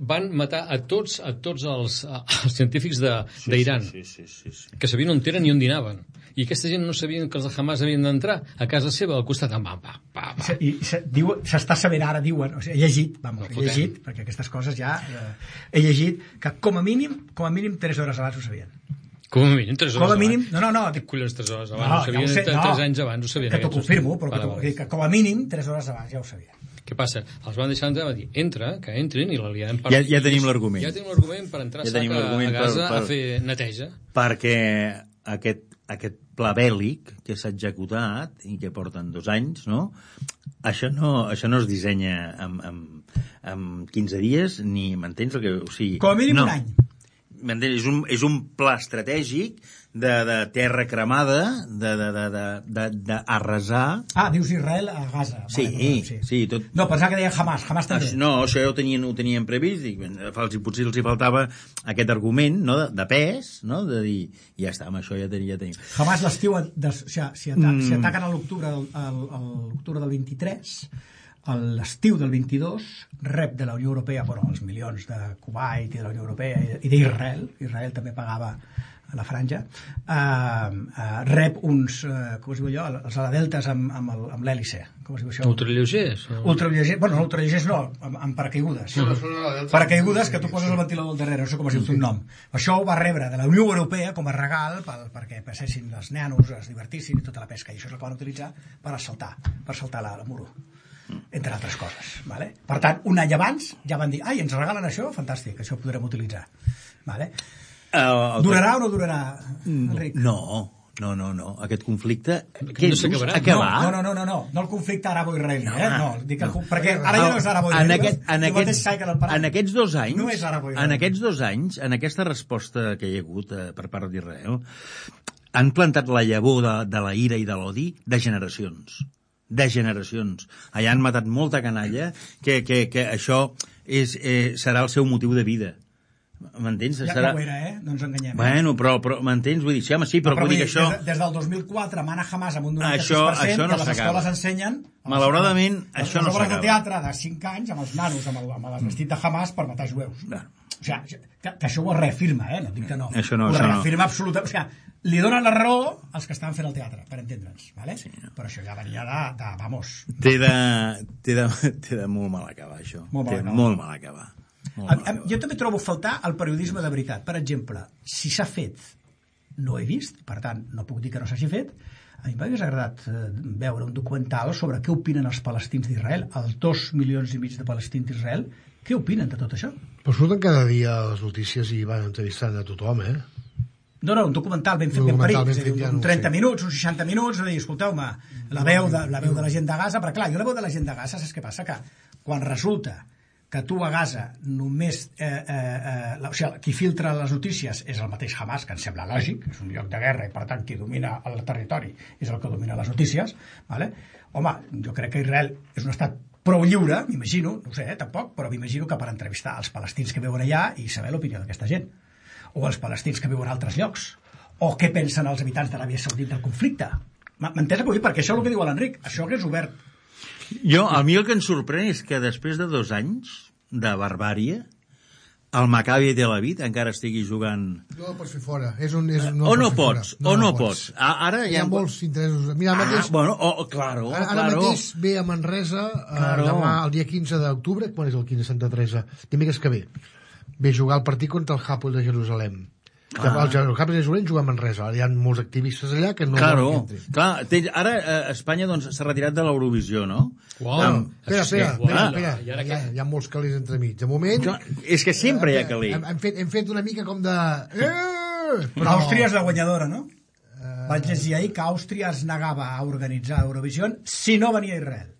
Van matar a tots, a tots els, els científics d'Iran, Sí, sí, sí, sí. que sabien on eren i on dinaven. I aquesta gent no sabien que els de Hamas havien d'entrar a casa seva, al costat. Va, va, va, va. I se- diu- s'està sabent ara, diuen, o sigui, he llegit, vamos, No he fotem. llegit, perquè aquestes coses ja... Eh, he llegit que com a mínim, com a mínim tres hores abans ho sabien. Com a mínim, tres hores Com a abans. mínim, no, no, no, Dic, collons, tres hores abans, no, ho sabien, ja ho sé, tre- no, tres anys abans ho sabien. que t'ho aquests. confirmo, però que, Vale, t'ho- vale. que com a mínim tres hores abans ja ho sabien. Què passa? Els van deixar entrar, va dir, entra, que entrin, i la liarem per... Ja- ja tenim l'argument. Ja tenim l'argument per entrar Ja a tenim sac a, l'argument a Gaza per- per- a fer neteja. Perquè aquest, aquest pla bèl·lic que s'ha executat i que porten dos anys, no? Això no, això no es dissenya en, en, en quinze dies, ni m'entens el que... O sigui, Com a mínim no. un any. M'entens? És un, és un pla estratègic de, de terra cremada, de, de, de, de, de, d'arrasar... Ah, dius Israel a Gaza. Sí, Vale, sí, tot... No, pensava que deia Hamas, Hamas també. Això, no, això ja ho tenien, ho tenien previst, i els, potser els hi faltava aquest argument, no?, de, de pes, no?, de dir, ja està, amb això ja tenim. Ja tenim. Hamas l'estiu, de, o sigui, si, ata Mm. si ataquen a l'octubre del, al, a l'octubre del vint-i-tres, a l'estiu del vint-i-dos rep de la Unió Europea, bueno, els milions de Kuwait i de la Unió Europea i- i d'Israel, Israel també pagava a la franja, eh, eh, rep uns, eh, com es diu allò, els aladeltes amb, amb, el- amb l'hèlice, com es diu això? Ultralleugers? O... Ultralleugers, bueno, no ultralleugers no, amb, amb paracaigudes. Paracaigudes que tu poses el ventilador al darrere, no sé com es diu un nom. Això ho va rebre de la Unió Europea com a regal pel, perquè passessin els nanos, es divertissin i tota la pesca, i això és el que van utilitzar per assaltar, per saltar la, la muro, entre altres coses. Vale? Per tant, un any abans ja van dir, ai, ens regalen això? Fantàstic, això ho podrem utilitzar. Vale? Uh, Durarà o no durarà, Enric? No, no, no, no. Aquest conflicte... no Què dius? s'acabarà. Acabar? No, no, no, no, no, no el conflicte arabo-israelí, eh? No, dic el, perquè ara ja no és en, arabo-israelí. aquest, en, el mateix aquests, Saica del Parà. en aquests dos anys, No és arabo-israelí. en aquests dos anys, en aquesta resposta que hi ha hagut eh, per part d'Israel, han plantat la llavor de, de la ira i de l'odi de generacions. De generacions. Allà han matat molta canalla que, que, que això és, eh, serà el seu motiu de vida. M'entens? Ja, Serà... ja ho era, eh? No ens enganyem. Bueno, però, però m'entens? Vull dir, sí, home, sí, però, però vull dir que això... Des, des del dos mil quatre mana Hamas amb un noranta-sis això, per cent això no que les escoles ensenyen... Malauradament, les, això no s'acaba. Les obres de s'acaba. teatre de cinc anys amb els nanos, amb el, amb el vestit de Hamas per matar jueus. No. O sigui, que, que això ho reafirma, eh? No dic que no. Això no, ho això reafirma no. absolutament. O sigui, li donen la raó als que estaven fent el teatre, per entendre'ns, ¿vale? Sí, no. Però això ja venia de... de vamos... Té de, té de, té de molt mal acabar, això. Molt mal té acabar. molt mal acabar. A, a, jo també trobo faltar el periodisme de veritat. Per exemple, si s'ha fet, no he vist, per tant, no puc dir que no s'hagi fet. A mi m'hagués agradat eh, veure un documental sobre què opinen els palestins d'Israel, els dos milions i mig de palestins d'Israel. Què opinen de tot això? Però surten cada dia les notícies i van entrevistant a tothom, eh? No, no, un documental ben fet, ben parit, ben fet, ja un trenta minuts, uns seixanta minuts, de dir, escolteu-me, la veu de la veu de la gent de Gaza, perquè clar, jo la veu de la gent de Gaza, saps què passa? Que quan resulta que tu a Gaza només... Eh, eh, eh, la, o sigui, qui filtra les notícies és el mateix Hamas, que em sembla lògic, és un lloc de guerra i per tant qui domina el territori és el que domina les notícies, ¿vale? Home, jo crec que Israel és un estat prou lliure, m'imagino, no ho sé, eh, tampoc, però m'imagino que per entrevistar els palestins que viuen allà i saber l'opinió d'aquesta gent, o els palestins que viuen a altres llocs, o què pensen els habitants d'Aràbia Saudita del conflicte. M'entens el que vull dir? Perquè això és el que diu l'Enric, això hagués obert. Jo, a mi el que em sorprèn és que després de dos anys de barbàrie, el Maccabi Tel Aviv encara estigui jugant... No el pots fer fora. És un, és, no o no pots, no, o no pots. pots. Ara hi ha, hi ha molts interessos. Mira, ah, mateix, bueno, oh, claro, ara, ara claro. mateix ve a Manresa claro. eh, demà, el dia quinze d'octubre, quan és el quinze de Santa Teresa? Dimecres que ve. Ve a jugar el partit contra el Hapoel de Jerusalem. Ah. El Hapoel de Jerusalem juga a Manresa. Hi ha molts activistes allà que no claro, volen que entrin. Clar, té, ara eh, Espanya doncs, s'ha retirat de l'Eurovisió, no? Wow. Um, espera, espera, sí, espera, espera. Hi, ha, hi ha molts calés entremig. De moment... Clar, és que sempre hi ha calés. Hem, hem, fet, hem fet una mica com de... Eh! Però Àustria és la guanyadora, no? Uh... Vaig llegir ahir que Àustria es negava a organitzar Eurovisió si no venia Israel.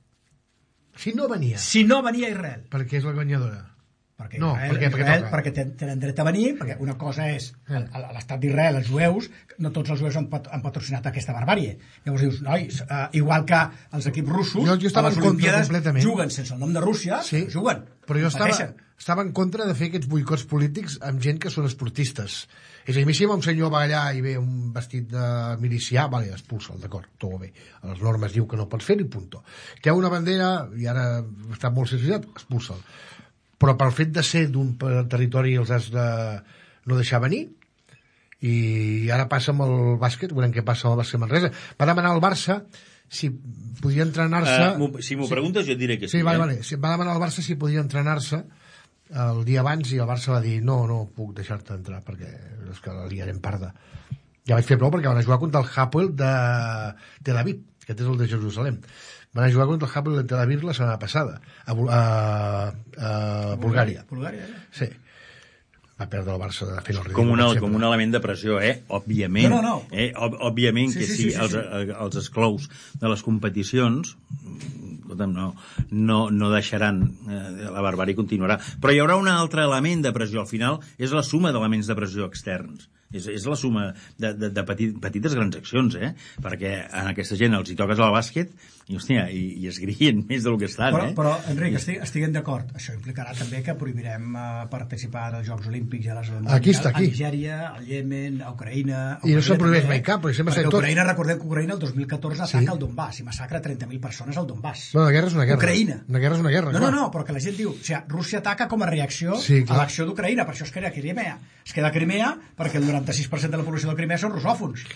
Si no venia? Si no venia Israel. Perquè és la guanyadora. Perquè no, Israel, perquè, Israel, perquè, perquè tenen dret a venir, perquè una cosa és l'estat d'Israel, els jueus, no tots els jueus han, pat, han patrocinat aquesta barbàrie. Llavors dius, nois, uh, igual que els equips russos, jo, jo a les Olimpíades juguen sense el nom de Rússia, sí, juguen. Però jo estava, estava en contra de fer aquests boicots polítics amb gent que són esportistes. És a dir, si un senyor va allà i ve un vestit de milicià, vale, expulsa'l, d'acord, tot va bé. A les normes diu que no pots fer-ho i punto. Que hi ha una bandera, i ara està molt sensibilitzat, expulsa'l. Però pel fet de ser d'un territori els has de no deixar venir, i ara passa amb el bàsquet, veurem què passa amb el bàsquet Manresa. Va demanar al Barça si podia entrenar-se... Uh, si m'ho sí. preguntes jo et diré que sí. Sí, vale, eh? vale. Va demanar al Barça si podia entrenar-se el dia abans i el Barça va dir no, no puc deixar-te entrar perquè és que la liarem parda. Ja vaig fer prou perquè van a jugar contra el Hapoel de Tel Aviv, que és el de Jerusalem. Van a jugar contra el Hapoel de Tel Aviv la setmana passada a, a, a Bulgària. Bulgària, eh? Sí. Va perdre el Barça de fer el ridícul. Com, una, com un element de pressió, eh? Òbviament. No, no, no. Eh? Òbviament sí, que sí, sí, sí, els, sí. els esclous de les competicions no, no, no deixaran eh, la barbàrie continuarà. Però hi haurà un altre element de pressió. Al final és la suma d'elements de pressió externs. És, és la suma de, de, de petit, petites grans accions, eh? Perquè a aquesta gent els hi toques al bàsquet i, hòstia, i, i es grien més del que estan, però, eh? Però, Enric, estic, estiguem d'acord. Això implicarà també que prohibirem uh, participar als Jocs Olímpics i a les aquí està, aquí. a Nigèria, al Iemen, a Ucraïna... A I no se'n prohibeix també, mai cap, perquè sempre perquè tot... Ucraïna, recordem que Ucraïna el dos mil catorze ataca sí. el Donbass i massacra trenta mil persones al Donbass. Bueno, la guerra és una guerra. Ucraïna. Una guerra és una guerra, no, clar. no, no, perquè la gent diu... O sigui, Rússia ataca com a reacció sí, a l'acció d'Ucraïna, per això es queda a Crimea. Es queda a Crimea perquè el noranta-sis per cent de la població de Crimea són russòfons.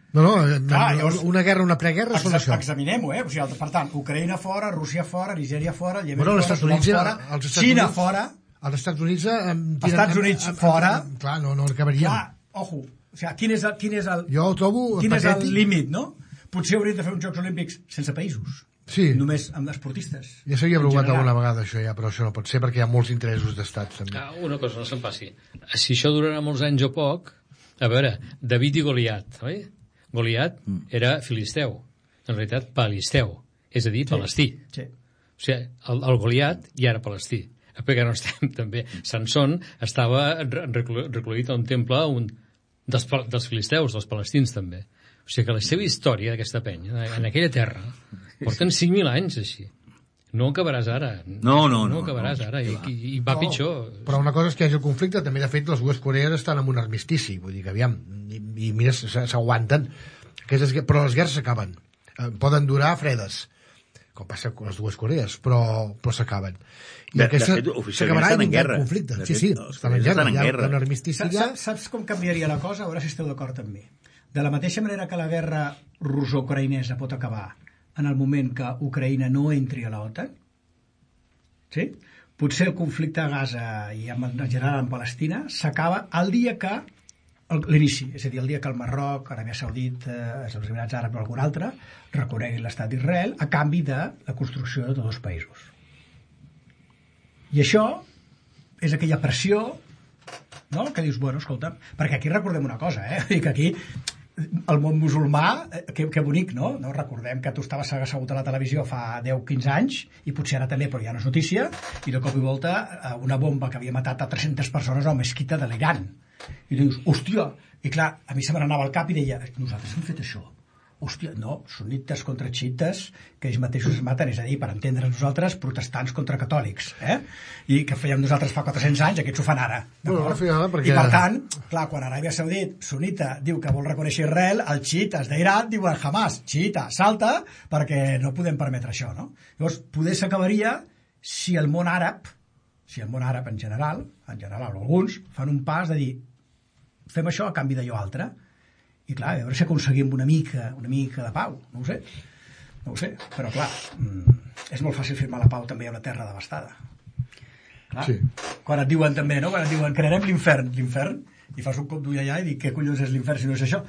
No, no, clar, llavors, una guerra, una preguerra són això. Examinem-ho, eh? O sigui, per tant, Ucraïna fora, Rússia fora, Nigèria fora, Iemen bueno, fora, Units, fora, els Xina Units, fora... Els Estats Units... Els Estats Units amb, amb, fora... Amb, amb, clar, no, no acabaríem. Clar, ojo, o sigui, quin és el, quin és el, jo ho trobo quin patètic. És el límit, no? Potser hauríem de fer uns Jocs Olímpics sense països. Sí. Només amb esportistes. Ja s'havia provat alguna vegada això ja, però això no pot ser perquè hi ha molts interessos d'estat també. Ah, una cosa, no se'n passi. Si això durarà molts anys o poc, a veure, David i Goliat, oi? Goliat mm. era filisteu, en realitat palisteu, és a dir, sí. palestí. Sí. O sigui, el, el Goliat ja era palestí. Perquè no estem també... Sansón estava recluït a un temple un, dels, dels filisteus, dels palestins també. O sigui que la seva història d'aquesta penya, en aquella terra, porten cinc mil anys així. No acabaràs ara. No, no, no. No acabaràs no, ara, i, i, i va no, pitjor. Però una cosa és que hi hagi el conflicte, també de fet les dues Corees estan en un armistici, vull dir que aviam, i, i mira, s'aguanten. Aquestes, però les guerres s'acaben. Eh, poden durar fredes, com passa amb les dues Corees, però, però s'acaben. I de, aquesta de fet, s'acabarà en guerra. Conflicte. De sí, fet, sí, estan en guerra. Hi ha un armistici. Saps, saps, saps com canviaria la cosa? A veure si esteu d'acord amb mi. De la mateixa manera que la guerra russo-ucraïnesa pot acabar en el moment que Ucraïna no entri a l'OTAN, sí? Potser el conflicte a Gaza i en general en Palestina s'acaba el dia que l'inici, és a dir, el dia que el Marroc, Aràbia Saudita, els Emirats Àrabs o algun altre reconeguin l'estat d'Israel a canvi de la construcció de dos països. I això és aquella pressió, no?, que dius, bueno, escolta, perquè aquí recordem una cosa, eh? I que aquí el món musulmà, que, que bonic, no? no? Recordem que tu estaves assegut a la televisió fa deu quinze anys, i potser ara també, però ja no és notícia, i de cop i volta una bomba que havia matat a tres-centes persones a una mesquita de l'Iran. I dius, hòstia, i clar, a mi se me n'anava al cap i deia, nosaltres hem fet això. Hòstia, no, sunites contra xiites, que ells mateixos es maten, és a dir, per entendre'ns nosaltres, protestants contra catòlics, eh? I que fèiem nosaltres fa quatre-cents anys, aquests ho fan ara. Bueno, no perquè... I per tant, clar, quan Aràbia Saudita, sunita, diu que vol reconèixer Israel, els xiites d'Iran diuen Hamas, xiita, salta, perquè no podem permetre això, no? Llavors, poder s'acabaria si el món àrab, si el món àrab en general, en general alguns, fan un pas de dir, fem això a canvi d'allò altre. I clar, a veure si aconseguim una mica, una mica de pau, no ho sé, no ho sé, però clar, és molt fàcil firmar la pau també a una terra devastada. Clar, sí. Quan et diuen també, no?, quan et diuen crearem l'infern, l'infern, i fas un cop d'ull allà i dic, què collons és l'infern si no és això?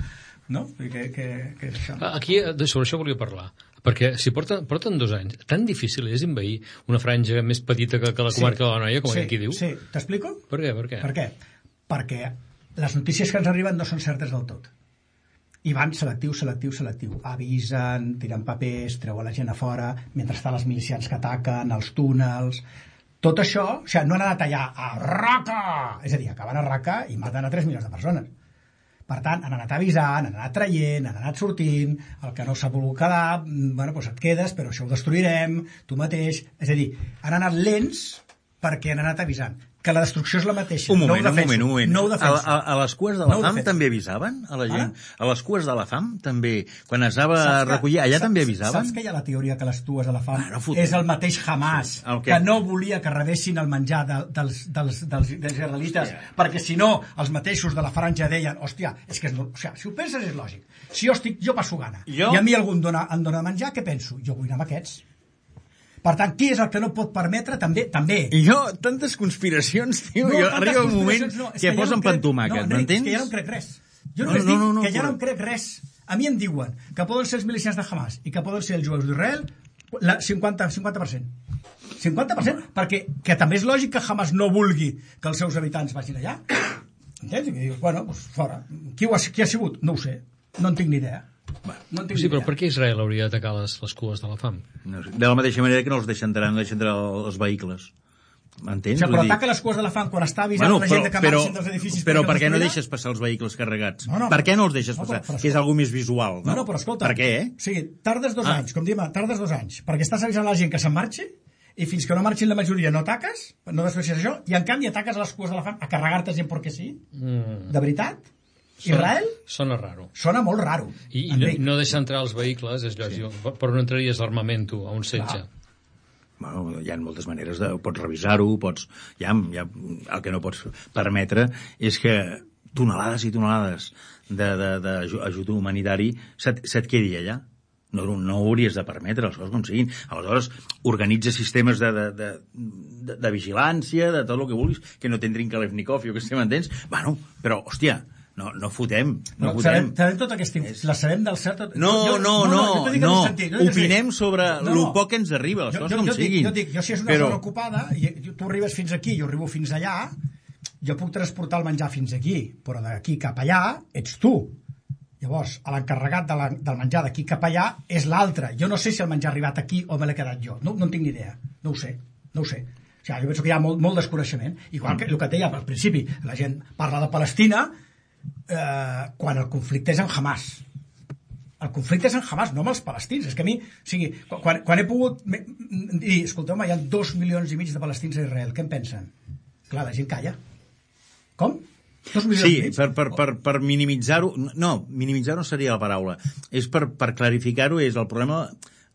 No? Què, què, què és això? Aquí, sobre això volia parlar, perquè si porten, porten dos anys, tan difícil és envair una franja més petita que, que la comarca sí, de la Noia, com sí, aquí diu? Sí, t'explico? Per què, per què? Per què? Perquè les notícies que ens arriben no són certes del tot. I van selectiu, selectiu, selectiu. Avisen, tiren papers, treuen la gent a fora, mentre estan els milicians que ataquen, els túnels... Tot això, o sigui, no han anat allà a Raqqa! És a dir, acaben a Raqqa i maten a tres milions de persones. Per tant, han anat avisant, han anat traient, han anat sortint, el que no s'ha volgut quedar, bueno, doncs et quedes, però això ho destruirem, tu mateix... És a dir, han anat lents perquè han anat avisant. Que la destrucció és la mateixa. Un moment, no un moment, un moment. No ho defenso. A, a, a les cues de la no fam també avisaven a la gent? Ara? A les cues de la fam també, quan es anava a recollir, allà saps, també avisaven? Saps que hi ha la teoria que les cues de la fam ah, no és el mateix Hamas, sí. el que... que no volia que rebessin el menjar de, dels, dels, dels, dels israelites, hòstia. Perquè si no, els mateixos de la franja deien, hòstia, és que és, o sigui, si ho penses és lògic. Si jo estic, jo passo gana, jo? I a mi algú em dona, em dona menjar, què penso? Jo vull anar amb aquests. Per tant, qui és el que no pot permetre? També, també. I jo, tantes conspiracions, tio, no, jo arriba un moment no, que, que posen no pan tomàquet, no, m'entens? És que ja no em crec res. Jo no, només no, dic no, no, que ja però... no em crec res. A mi em diuen que poden ser els milicians de Hamas i que poden ser els jueus d'Israel la cinquanta per cent. cinquanta per cent, perquè que també és lògic que Hamas no vulgui que els seus habitants vagin allà. Entens? I que dius, bueno, doncs fora. Qui, ho ha, qui ha sigut? No ho sé. No en tinc ni idea. Bueno, no sí, però per què Israel hauria d'atacar les, les cues de la fam? No sé. De la mateixa manera que no els deixen entrar, no deixen entrar els vehicles. M'entens? O sigui, però ataca les cues de la fam quan està avisant bueno, la gent de que marxin dels edificis... Però per què no deixes passar els vehicles carregats? No, no, per què no els deixes no, passar? Però, però, que és algo més visual, no? No, no, però escolta... Per què, eh? O sigui, tardes dos ah. anys, com diem, tardes dos anys, perquè estàs avisant la gent que se'n marxi i fins que no marxin la majoria no ataques, no destrueixes això, i en canvi ataques a les cues de la fam a carregar-te gent perquè sí? Mm. De veritat? Israel? Sona raro. Sona molt raro. I, i no, no deixar entrar els vehicles, és lògic, sí. Però no entraries l'armament a un setge. Bueno, hi ha moltes maneres de... Pots revisar-ho, pots... Ja, ja, el que no pots permetre és que tonelades i tonelades d'ajut humanitari se't, se't quedi allà. No, no ho hauries de permetre, les coses com siguin. Aleshores, organitza sistemes de, de, de, de, de vigilància, de tot el que vulguis, que no tindrin Kalashnikov, jo que sé, m'entens? Bueno, però, hòstia... No, no fotem, no, no fotem. Sabem, sabem tota aquesta... La sabem del cert... Tot... No, jo, no, no, no, no. Sentit, no opinem sobre no, el poc que ens arriba, les jo, coses jo, com jo siguin. Dic, jo dic, jo si és una però... zona ocupada, i tu arribes fins aquí, jo arribo fins allà, jo puc transportar el menjar fins aquí, però d'aquí cap allà ets tu. Llavors, l'encarregat de la, del menjar d'aquí cap allà és l'altre. Jo no sé si el menjar ha arribat aquí o me l'he quedat jo. No, no en tinc ni idea. No ho sé, no ho sé. O sigui, jo penso que hi ha molt, molt desconeixement. Igual que el que et deia al principi, la gent parla de Palestina, eh, quan el conflicte és amb Hamas. El conflicte és amb Hamas, no amb els palestins. És que a mi, o sigui, quan, quan he pogut dir, escolteu-me, hi ha dos milions i mig de palestins a Israel, què en pensen? Clar, la gent calla. Com? Dos milions sí, i mig? per, per, per, per minimitzar-ho... No, minimitzar no seria la paraula. És per, per clarificar-ho, és el problema...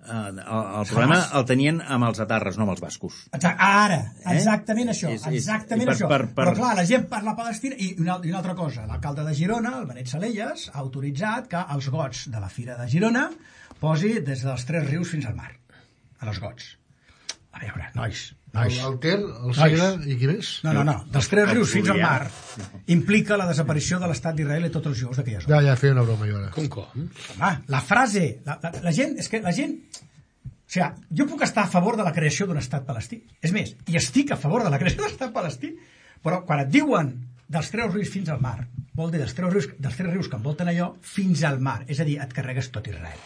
Uh, el, el problema el tenien amb els atarres, no amb els bascos. Exacte, ara, exactament eh? això, és, és, exactament per, això. Per, per... Però clar, la gent parla Palestina i una, i una altra cosa, l'alcalde de Girona, el Benet Salellas, ha autoritzat que els gots de la Fira de Girona posi des dels Tres Rius fins al mar, a les gots. A veure, nois, nois. El, el Ter, el Segre i qui més? No, no, no, dels Tres Rius fins al mar implica la desaparició de l'estat d'Israel i tots els jueus d'aquella zona. Ja, ja, feia una broma, jo ara. Com, com? Home, la frase, la, la, la gent, és que la gent... O sigui, jo puc estar a favor de la creació d'un estat palestí. És més, i estic a favor de la creació d'un estat palestí, però quan et diuen dels Tres Rius fins al mar, vol dir dels Tres Rius, dels tres rius que envolten allò fins al mar. És a dir, et carregues tot Israel.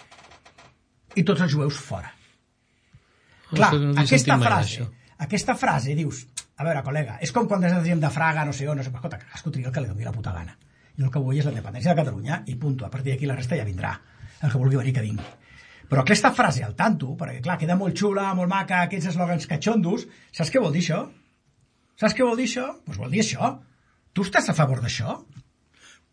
I tots els jueus fora. Clar, no aquesta frase, aquesta frase, dius, a veure, col·lega, és com quan desatiem de Fraga, no sé on, no sé, escolta, cadascú triga el que li doni la puta gana. Jo el que vull és la independència de Catalunya i punto. A partir d'aquí la resta ja vindrà. El que vulgui venir, que vingui. Però aquesta frase al tanto, perquè clar, queda molt xula, molt maca, aquests eslògans catxondos, saps què vol dir això? Saps què vol dir això? Doncs vol dir això. Tu estàs a favor d'això?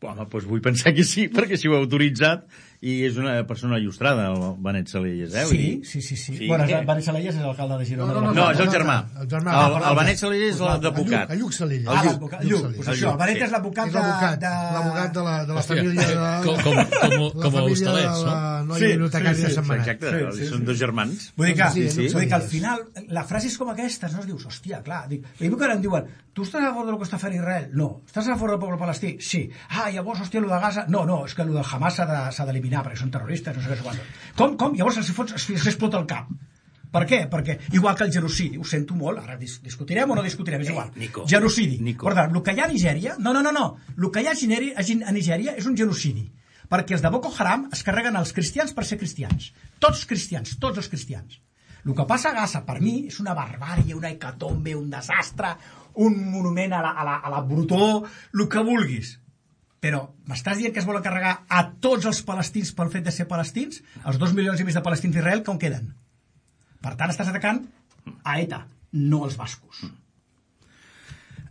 Home, doncs vull pensar que sí, perquè si ho ha autoritzat i és una persona il·lustrada, el Benet Salellas, eh? Sí, sí, sí, sí. sí. Bueno, el Benet Salellas és l'alcalde de Girona. No, no, no, No, és el germà. El germà. El, el Benet Salellas és l'advocat. El Lluc Salellas. Ah, l'advocat. Lluc, doncs això, el Benet és l'advocat És de... l'advocat, de... l'advocat de la, de la família de... Com, com, com, la com a família hostalets, de la no? noia bibliotecària de Sant Manat. Exacte, Sí, sí, són sí. dos germans. Vull dir que, Sí, sí, vull dir que al sí. final la frase és com aquesta, no? Es dius, hòstia, clar, dic, i que ara em diuen, tu estàs a favor del que està fent Israel? No. Estàs a favor del poble palestí? Sí. Ah, llavors, hòstia, el de Gaza? No, no, és que el del Hamas s'ha d'eliminar perquè són terroristes, no sé què, quant. Com, com? Llavors els fots s'explota el cap. Per què? Perquè, igual que el genocidi, ho sento molt, ara dis discutirem o no discutirem, és igual. Nico. Genocidi. Nico. Per tant, el que hi ha a Nigèria... No, no, no, no. El que hi ha a Nigèria és un genocidi. Perquè els de Boko Haram es carreguen els cristians per ser cristians. Tots cristians, tots els cristians. El que passa a Gaza, per mi, és una barbària, una hecatombe, un desastre, un monument a la, a la, a la brutor, el que vulguis. Però m'estàs dient que es volen carregar a tots els palestins pel fet de ser palestins? Els dos milions i mig de palestins d'Israel, com queden? Per tant, estàs atacant a ETA, no als bascos.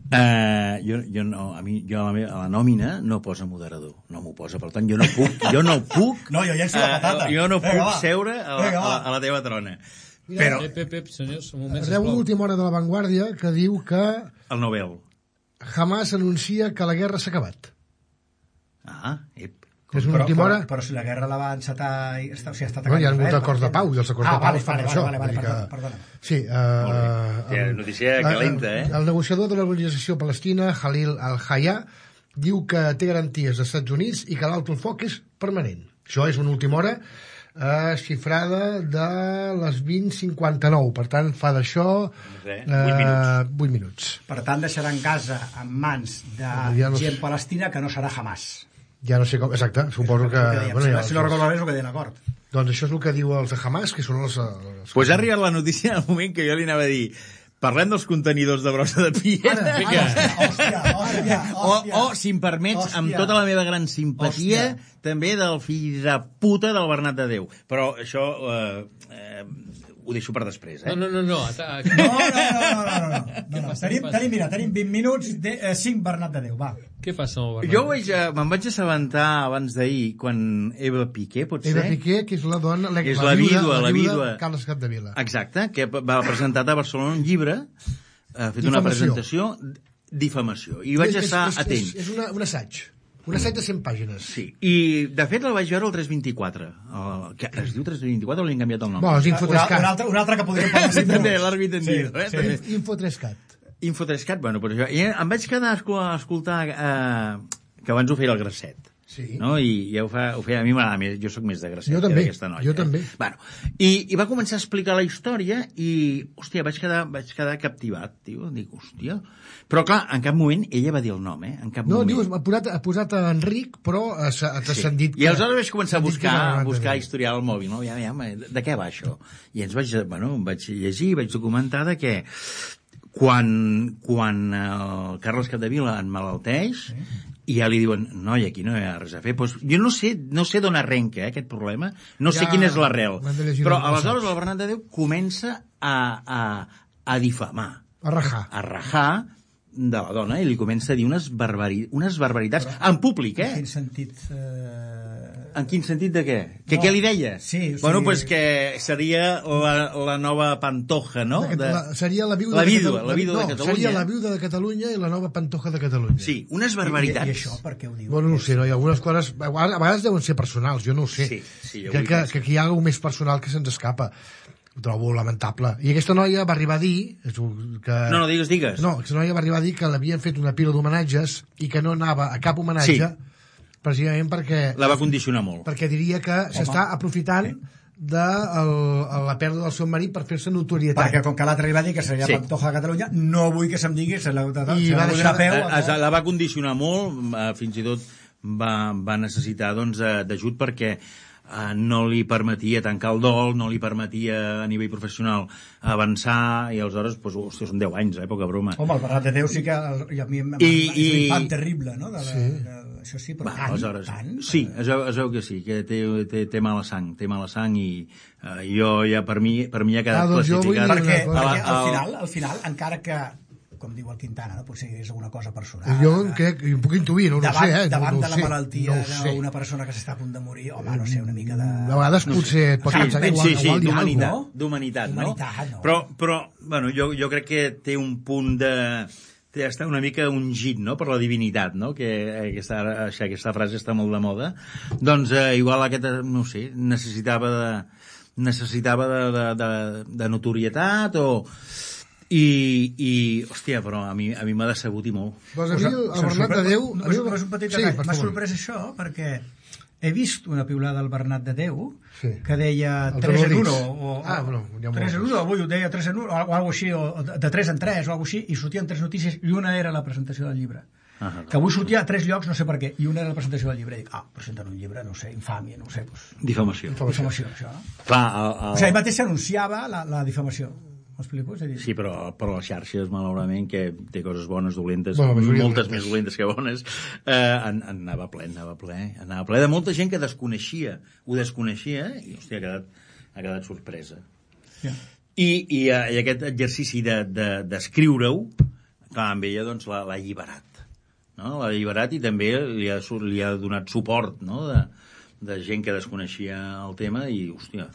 Uh, jo, jo no, a mi, jo a la, meva, a la nòmina no posa moderador, no m'ho posa, per tant jo no puc, jo no puc, No, jo llenço la patata. uh, jo no Vinga, puc va. seure a la, Vinga, a, la, va. a la teva trona. Mira, Però Pep, pep, pep, senyors, un moment, Reu sisplau. l'última hora de La Vanguardia que diu que el Nobel. Hamas anuncia que la guerra s'ha acabat. Ah, ep. És una Però, última però, hora... però si la guerra la va encetar... i està, o sigui, està Bueno, hi ha atacant hagut Israel, acords de per pau, i els acords ah, de pau vale, es fan vale, això. Vale, vale, vull dir perdona, que- perdona. Sí, Molt bé. uh, Hòstia, notícia calenta, eh? El negociador de l'organització palestina, Khalil al-Hayya, diu que té garanties dels Estats Units i que l'alto el foc és permanent. Això és una última hora eh, xifrada de les vint cinquanta-nou. Per tant, fa d'això Eh, vuit minuts. vuit minuts. Per tant, deixaran Gaza en mans de Ja no sé. gent palestina que no serà Hamas. Ja no sé com... Exacte, suposo que... Que dèiem, bueno, ja, si no recordo bé és el que deien l'acord. doncs això és el que diu els de Hamas, que són els... els Pues ha arribat la notícia en el moment que jo li anava a dir parlem dels contenidors de brossa de piedra. Ara, Vinga. Hòstia, hòstia, O, hòstia. o, si em permets, Hòstia. amb tota la meva gran simpatia, Hòstia. també del fill de puta del Bernat de Déu. Però això eh, eh, ho deixo per després, eh? No, no, no, no. ata- No, no, no, no, no, no, no, no. passa, Tenim, què passa? tenim, mira, tenim vint minuts de eh, cinc Bernat de Déu, va. Què passa amb el Bernat? Jo vaig, eh, me'n vaig assabentar abans d'ahir, quan Eva Piqué, pot ser? Eva Piqué, que és la dona... La, És la vídua, la vídua. de Carles Capdevila. Exacte, que va presentar a Barcelona un llibre, ha fet una Difamació. presentació, difamació, i vaig És- estar és, és, atent. És, és una, un assaig. Un assaig de cent pàgines. Sí, i de fet el vaig veure al tres vint-i-quatre. El, que es diu tres vint-i-quatre o li han canviat el nom? Bueno, és Un, Infotrescat. un, altre, un altre que podríem parlar cinc També, minuts. l'àrbit entendido, eh? Sí, També. sí. Infotrescat. Infotrescat, bueno, però això... I em vaig quedar a escol- a escoltar eh, que abans ho feia el Grasset. Sí. No? I ja ho, fa, ho feia, a mi m'agrada més, jo sóc més de Grasset Jo que també, d'aquesta noia. jo eh? també. Bueno, i, i va començar a explicar la història i, hòstia, vaig quedar, vaig quedar captivat, tio. Dic, hòstia... Però, clar, en cap moment ella va dir el nom, eh? En cap No, moment. dius, ha posat, ha posat a Enric, però ha, ha Sí. transcendit... I aleshores vaig començar a s'ha dit que buscar, era a Bernat de buscar Déu. historial al mòbil, no? Ja, ja, de, de què va això? I ens vaig, bueno, em vaig llegir, vaig documentar de que quan, quan el Carles Capdevila emmalalteix, i ja li diuen, noi, aquí no hi ha res a fer. Pues jo no sé, no sé d'on arrenca eh, aquest problema, no sé ja, quina és l'arrel. Però aleshores el Bernat de Déu comença a, a, a difamar. A rajar. A rajar de la dona i li comença a dir unes, barbari... unes barbaritats però, en públic, eh? En quin sentit... Eh... En quin sentit de què? Que no. Què li deia? Sí, o sigui... Bueno, pues que seria la, la nova Pantoja, no? De... La, seria la vídua, la de, vídua, Catalunya. la vídua no, de Catalunya. Seria la vídua de Catalunya i la nova Pantoja de Catalunya. Sí, unes barbaritats. I, i això per què ho diu? Bueno, no ho sé, no? Hi ha algunes coses... A vegades deuen ser personals, jo no ho sé. Sí, sí, jo Crec que, que aquí hi ha alguna més personal que se'ns escapa. Ho trobo lamentable. I aquesta noia va arribar a dir... Que... No, no, digues, digues. No, aquesta noia va arribar a dir que l'havien fet una pila d'homenatges i que no anava a cap homenatge sí. precisament perquè... La va condicionar molt. Perquè diria que s'està aprofitant sí. de el, la pèrdua del seu marit per fer-se notorietat. Perquè com que l'altre li va dir que seria sí. Pantoja de Catalunya, no vull que se'm digui... Se la, I va deixar... peu, a, a, la va condicionar molt, fins i tot va, va necessitar doncs, d'ajut perquè... Uh, no li permetia tancar el dol, no li permetia a nivell professional avançar, i aleshores, doncs, hòstia, són deu anys, eh, poca broma. Home, el Bernat de Déu sí que el, i a mi I, és i... l'infant terrible, no? De la, sí. de, això sí, però Va, tant, aleshores, tant... Sí, es veu, es veu que sí, que té, té, té mala sang, té mala sang i uh, jo ja, per mi, per mi ha quedat ah, doncs classificat. Perquè, perquè al, final, al final, encara que com diu el Quintana, no? Potser és alguna cosa personal. Jo crec, jo puc intuir, no, davant, no sé, eh? Davant no, no de la sé, malaltia no d'una persona que s'està a punt de morir, home, no sé, una mica de... A vegades no potser et pot pensar que igual, sí, sí, igual d'humanitat, no? d'humanitat, no? no? Però, però bueno, jo, jo crec que té un punt de... té està una mica ungit, no?, per la divinitat, no?, que aquesta, aquesta frase està molt de moda. Doncs eh, igual aquest, no sé, necessitava de, necessitava de, de, de, de notorietat o... I, i, hòstia, però a mi, a mi m'ha decebut i molt. Doncs a mi el Bernat de Déu... No, no, no és un petit detall. Sí, m'ha sorprès això, perquè he vist una piulada del Bernat de Déu sí. que deia tres en uno, o, ah, bueno, tres en uno, avui ho deia tres en uno, o alguna així, o de tres en tres, o alguna així, i sortien tres notícies, i una era la presentació del llibre. Ah, que avui sortia a tres llocs, no sé per què, i una era la presentació del llibre. I dic, ah, presenten un llibre, no sé, infàmia, no sé. Pues... Difamació. Difamació, això. Clar, el, el... O sigui, ell mateix s'anunciava la, la difamació. M'explico? És a dir... Sí, però per les xarxes, malauradament, que té coses bones, dolentes, bueno, moltes més dolentes que bones, eh, en, en anava ple, anava ple, anava ple de molta gent que desconeixia, ho desconeixia, i, hòstia, ha quedat, ha quedat sorpresa. Yeah. I, i, I aquest exercici d'escriure-ho, de, de, clar, amb ella, doncs, l'ha alliberat. No? L'ha alliberat i també li ha, li ha donat suport, no?, de, de gent que desconeixia el tema i, hòstia...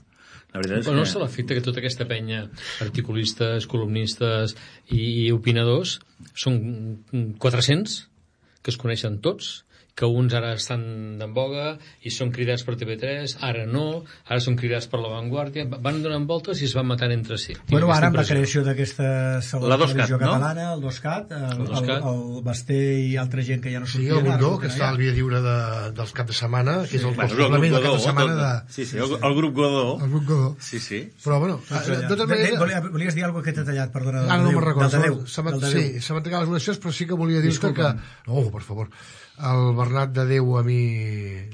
La veritat és però no que... se l'efecte que tota aquesta penya, articulistes, columnistes i, i opinadors, són quatre-cents que es coneixen tots, que uns ara estan en boga i són cridats per T V tres, ara no, ara són cridats per La Vanguardia, van donant voltes i es van matant entre si. Bueno, ara amb la creació d'aquesta segona televisió no? catalana, el DOSCAT, el, el, el, el Basté i altra gent que ja no sortia. Sí, el Gordó, que està al Via Lliure de, dels cap de setmana, que és el sí. complement del cap de setmana de... Sí, sí, el, el grup Godó. El grup Godó. Sí, sí. Però, bueno, de totes maneres... Volies, volies dir alguna cosa que t'he tallat, perdona. Ara no me'n recordo. Sí, se m'han tancat les oracions, però sí que volia dir-te que... No, per favor. El Bernat de Déu a mi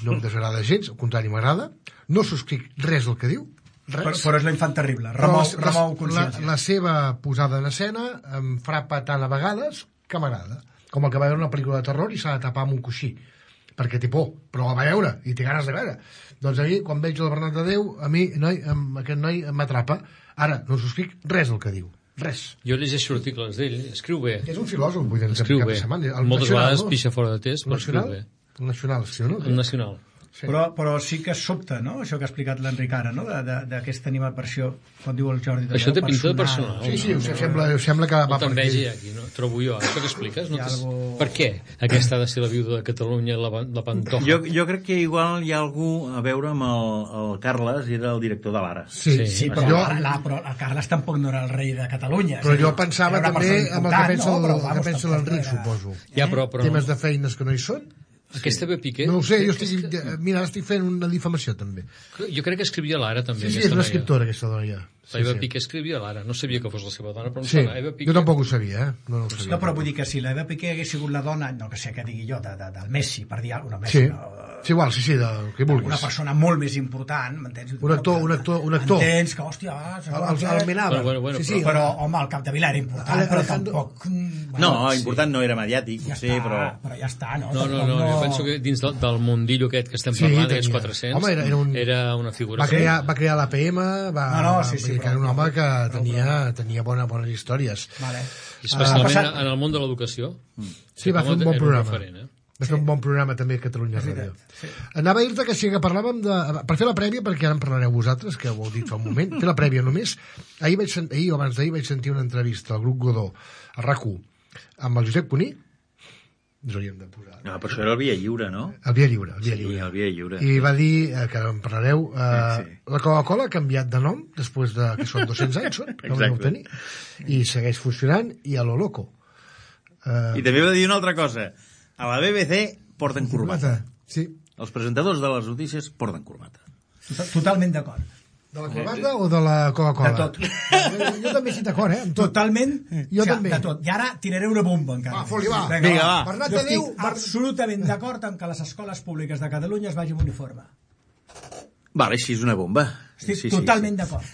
no em desagrada gens, al contrari m'agrada, no subscric res del que diu, res. Però, però és l'infant terrible, remou, la, remou consciència. La, la seva posada en escena em frapa tant a vegades que m'agrada, com el que va veure una pel·lícula de terror i s'ha de tapar amb un coixí, perquè té por, però la va veure i té ganes de veure. Doncs a mi, quan veig el Bernat de Déu, a mi noi, aquest noi m'atrapa. Ara, no subscric res del que diu. Res. Jo llegeixo articles d'ell, escriu bé. És un filòsof, vull dir, escriu cap bé. de setmana. El Moltes nacional, vegades no? Pixa fora de test, però escriu bé. El nacional, sí o no? El nacional. Sí. Però, però sí que sobta, no?, això que ha explicat l'Enric ara, no?, d'aquesta animadversió, quan diu el Jordi... Això té pinta de personal. Sí, sí, no? sembla, sembla que va per aquí. aquí, no? Trobo jo, això que expliques. No algo... Per què aquesta ha de ser la viuda de Catalunya, la, la Pantoja? Jo, jo crec que igual hi ha algú a veure amb el, el Carles, era el director de l'Ara. Sí, sí, sí, però, jo... la, però el Carles tampoc no era el rei de Catalunya. Però jo pensava també amb el que pensa no, l'Enric, suposo. Ja, però, però... Temes de feines que no hi són. Aquesta ve Piqué... No ho sé, jo estic... Mira, estic fent una difamació, també. Jo crec que escrivia l'Ara, també. Sí, sí, és una escriptora, aquesta dona, ja. La Eva sí, Piqué escrivia l'Ara. No sabia que fos la seva dona, però em sí, sona. Eva Piqué... Jo tampoc ho sabia, eh? No, no, ho sabia. No, però vull dir que si l'Eva Piqué hagués sigut la dona, no que sé què digui jo, de, de, del Messi, per dir alguna cosa, no, Messi, sí. no, Sí, igual, sí, sí, del que vulguis. Una persona molt més important, m'entens? Un actor, un actor, un actor. Entens que, hòstia... El, el, el Menava. Bueno, bueno, sí, sí, però, home, el Capdevila era important, però tampoc... No, important no era mediàtic, Ja sí, està, però... però ja està, no? No, no, no, jo penso que dins del, del mundillo aquest que estem Sí, parlant, tenia. aquests quatre-cents, Home, era- era un- era una figura... Va crear, va crear l'A P M, va, No, no, sí, sí, vull dir que era un home que tenia, tenia bona, bones històries. Vale. Especialment passat- en el món de l'educació. Sí, va fer un bon Era programa. referent, eh? Va fer un bon programa també a Catalunya Ràdio. sí. Anava a dir-te que sí que parlàvem de... Per fer la prèvia, perquè ara en parlareu vosaltres, que ho heu dit fa un moment, fer la prèvia només. Ahir, vaig, sen- ahir o abans d'ahir vaig sentir una entrevista al grup Godó, a RAC u, amb el Josep Cuní. Ens hauríem de posar. No, però això era el Via Lliure, no? El Via Lliure, el Via Sí, Lliure. el Via Lliure. I va dir, eh, que en parlareu, eh, Sí. la Coca-Cola ha canviat de nom, després de, que són dos-cents anys, són, que Exacte. vau tenir, i segueix funcionant, i a lo loco. Eh, I també va dir una altra cosa. A la B B C porten corbata. Sí. Els presentadors de les notícies porten corbata. Tot- Totalment d'acord. De la corbata o de la Coca-Cola? De tot. Jo, jo també estic d'acord, eh? Amb tot. Totalment, Jo o sigui, també. de tot. I ara tiraré una bomba encara. Va, foli, va. Vinga, va. Bernat Jo de Déu, estic absolutament d'acord amb que les escoles públiques de Catalunya es vagin amb uniforme. Vale, així és una bomba. Estic Sí, sí, totalment sí. d'acord.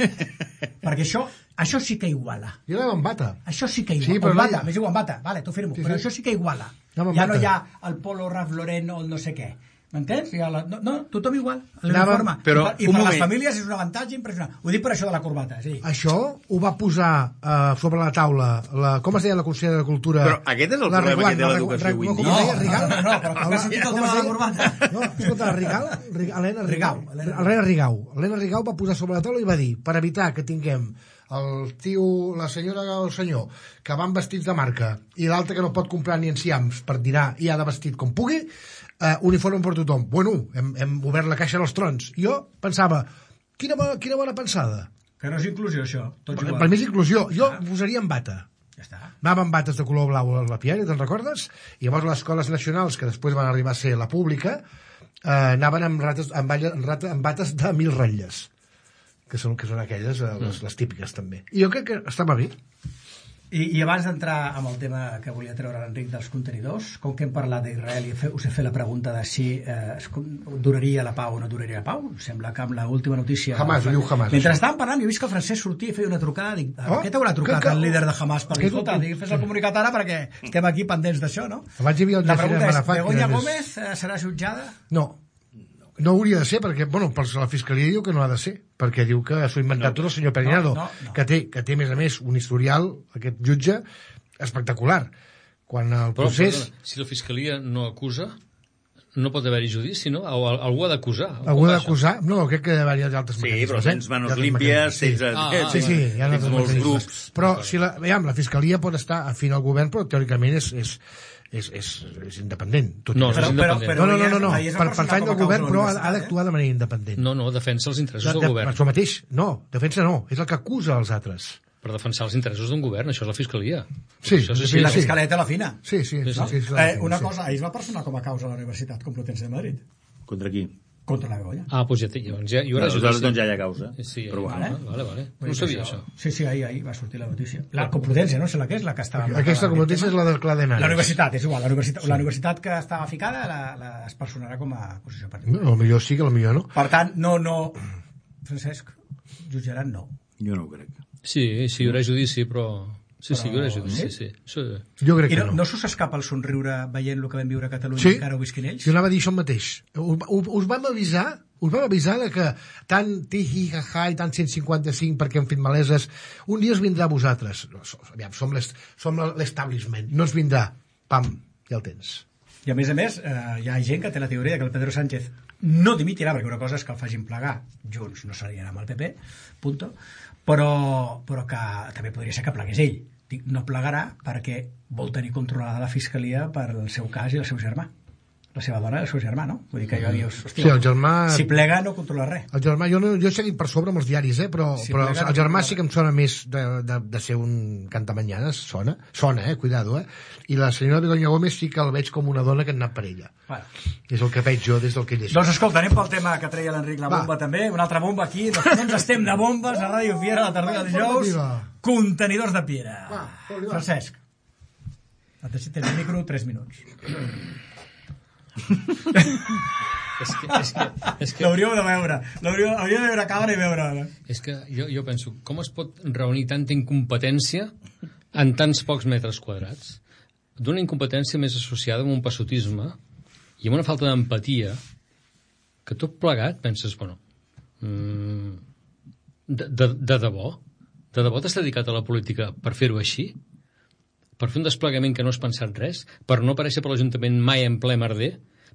Perquè això, això sí que iguala. Jo anava amb bata. Això sí que iguala. Sí, Sí, però però no bata, hi ha. m'és igual, amb bata. Vale, t'ho firmo. Sí, Però sí. això sí que iguala. Anava amb Ja no bata. hi ha el polo Ralph Lauren o el no sé què. M'entens? Ja la... no, no, tothom igual. Anava- L'uniforme. però, I per, i un per les moment. famílies és un avantatge impressionant. Ho dic per això de la corbata. Sí. Això ho va posar eh, sobre la taula, la, com es deia la consellera de Cultura? Però aquest és el La problema Reguant, que té la l'educació Reguant, avui no, en com dia. es deia, Rigal? No, no, però com has sentit el Com tema es de la deia? corbata? No, escolta, la Rigal, Rigal Helena Rigau, Rigau, Helena Rigau. Helena Rigau va posar sobre la taula i va dir, per evitar que tinguem el tio, la senyora o el senyor, que van vestits de marca, i l'altre que no pot comprar ni enciams per dinar i ha de vestit com pugui, eh, uniforme per tothom. Bueno, hem, hem obert la caixa dels trons. I jo pensava, quina bona, quina bona pensada. Que no és inclusió, això. Tots Per, igual. per mi és inclusió. Jo posaria en bata. Ja està. Anava amb bates de color blau a la Piera, te'n recordes? I llavors les escoles nacionals, que després van arribar a ser la pública, eh, anaven amb, rates, amb, balla, amb, rata, amb bates de mil ratlles, que són, que són aquelles, eh, les, les típiques també. I jo crec que estava bé. I, I abans d'entrar amb el tema que volia treure l'Enric dels contenidors, com que hem parlat d'Israel i fe, us he fet la pregunta de si eh, es con- duraria la pau o no duraria la pau, sembla que amb l'última notícia... Hamas, ho diu Hamas, Mentre això. estàvem parlant, jo he vist que el Francesc sortia i feia una trucada, dic, Oh, oh, què t'haurà trucat que- que- el líder de Hamas per dir, que- escolta, dic, fes el comunicat ara perquè estem aquí pendents d'això, no? Abans hi havia el La Yasser pregunta és, Arafat, que Begoña era més- Gómez eh, serà jutjada? No, no hauria de ser, perquè, bueno, per la Fiscalia diu que no ha de ser, perquè diu que s'ho ha inventat tot el senyor Perinado, no, no. que, té, que té, a més a més, un historial, aquest jutge, espectacular. Quan el Però, procés... perdona, si la Fiscalia no acusa, no pot haver-hi judici, no? O al- algú ha d'acusar. Algú ha d'acusar? No, crec que hi ha d'altres Sí, mecanismes. però eh? tens manos D'altres límpies, mecanismes, tens... Ah, ah, Sí, sí, hi ha tens altres molts mecanismes. grups. Però si la, veiem, la Fiscalia pot estar afín al govern, però teòricament és, és, és, és, és independent. Tot No, i que- no és independent. no, no, no, no, no. ahir es va Per, personar pertany com a del causa govern, de però ha, l'universitat, ha d'actuar de manera independent. No, no, defensa els interessos De, del de, govern. això mateix, no, defensa no, és el que acusa els altres. Per defensar els interessos d'un govern, això és la Fiscalia. Sí, Això sí, Sí, la sí. Fiscalia té la fina. Sí, sí, sí. Sí, sí, sí. sí, Eh, una sí. cosa, ahir es va personar com a causa a la Universitat Complutense de Madrid. Contra qui? Contra la Begoña. Ah, doncs ja, té, llavors ja, hi haurà Aleshores, judici. doncs ja hi ha causa. Sí, Però vale, bueno. vale, vale. No ho sabia, això. Sí, sí, ahir, ahir va sortir la notícia. La Complutense, no sé la que és, la que estava... Aquesta competència és la del Clar de Nares. La universitat, és igual. La universitat, la universitat que estava ficada la, la es personarà com a acusació particular. No, millor sí que millor no. Per tant, no, no... Francesc, jutjaran no. Jo no ho crec. Sí, sí, hi haurà judici, però... Sí, sí, hi haurà judici, sí. sí. Jo crec I que no, no. no s'us escapa el somriure veient el que vam viure a Catalunya Sí, i encara ho visquin ells? jo anava a dir això mateix. Us, us, us vam avisar us vam avisar de que tant tihi, jaja i tant cent cinquanta-cinc perquè han fet maleses, un dia us vindrà a vosaltres. No, som, aviam, som l'est- som l'establishment, no ens vindrà. Pam, ja el tens. I a més a més, eh, hi ha gent que té la teoria que el Pedro Sánchez no dimitirà, perquè una cosa és que el facin plegar junts, no serien amb el P P, punto, però, però que també podria ser que plegués ell. Dic, no plegarà perquè vol tenir controlada la Fiscalia per el seu cas i el seu germà. La seva dona i el seu germà, no? Vull dir que jo dius, hòstia, Sí, el germà- si plega no controla res. El germà, jo, no, jo he seguit per sobre amb els diaris, eh, però, Sí, però plega- el germà sí que em sona més de, de, de ser un cantamanyanes, sona, sona, eh, cuidado, eh, i la senyora Begoña Gómez sí que el veig com una dona que ha anat per ella. Bueno. És el que veig jo des del que llegeixo. Doncs escolta, anem pel tema que treia l'Enric, la Va. bomba també, una altra bomba aquí, no, no ens estem de bombes a Ràdio Fiera, la tarda de dijous, Informativa. contenidors de piedra. Va, foli, va. Francesc, et deixo el micro tres minuts. És que, és que, és que... L'hauríeu de veure. L'hauríeu hauríeu de veure a càmera i veure. És que jo, jo penso, com es pot reunir tanta incompetència en tants pocs metres quadrats? D'una incompetència més associada amb un passotisme i amb una falta d'empatia que tot plegat penses, bueno, mm, de, de, de debò? De debò t'has dedicat a la política per fer-ho així? Per fer un desplegament que no has pensat res? Per no aparèixer per l'Ajuntament mai en ple merder?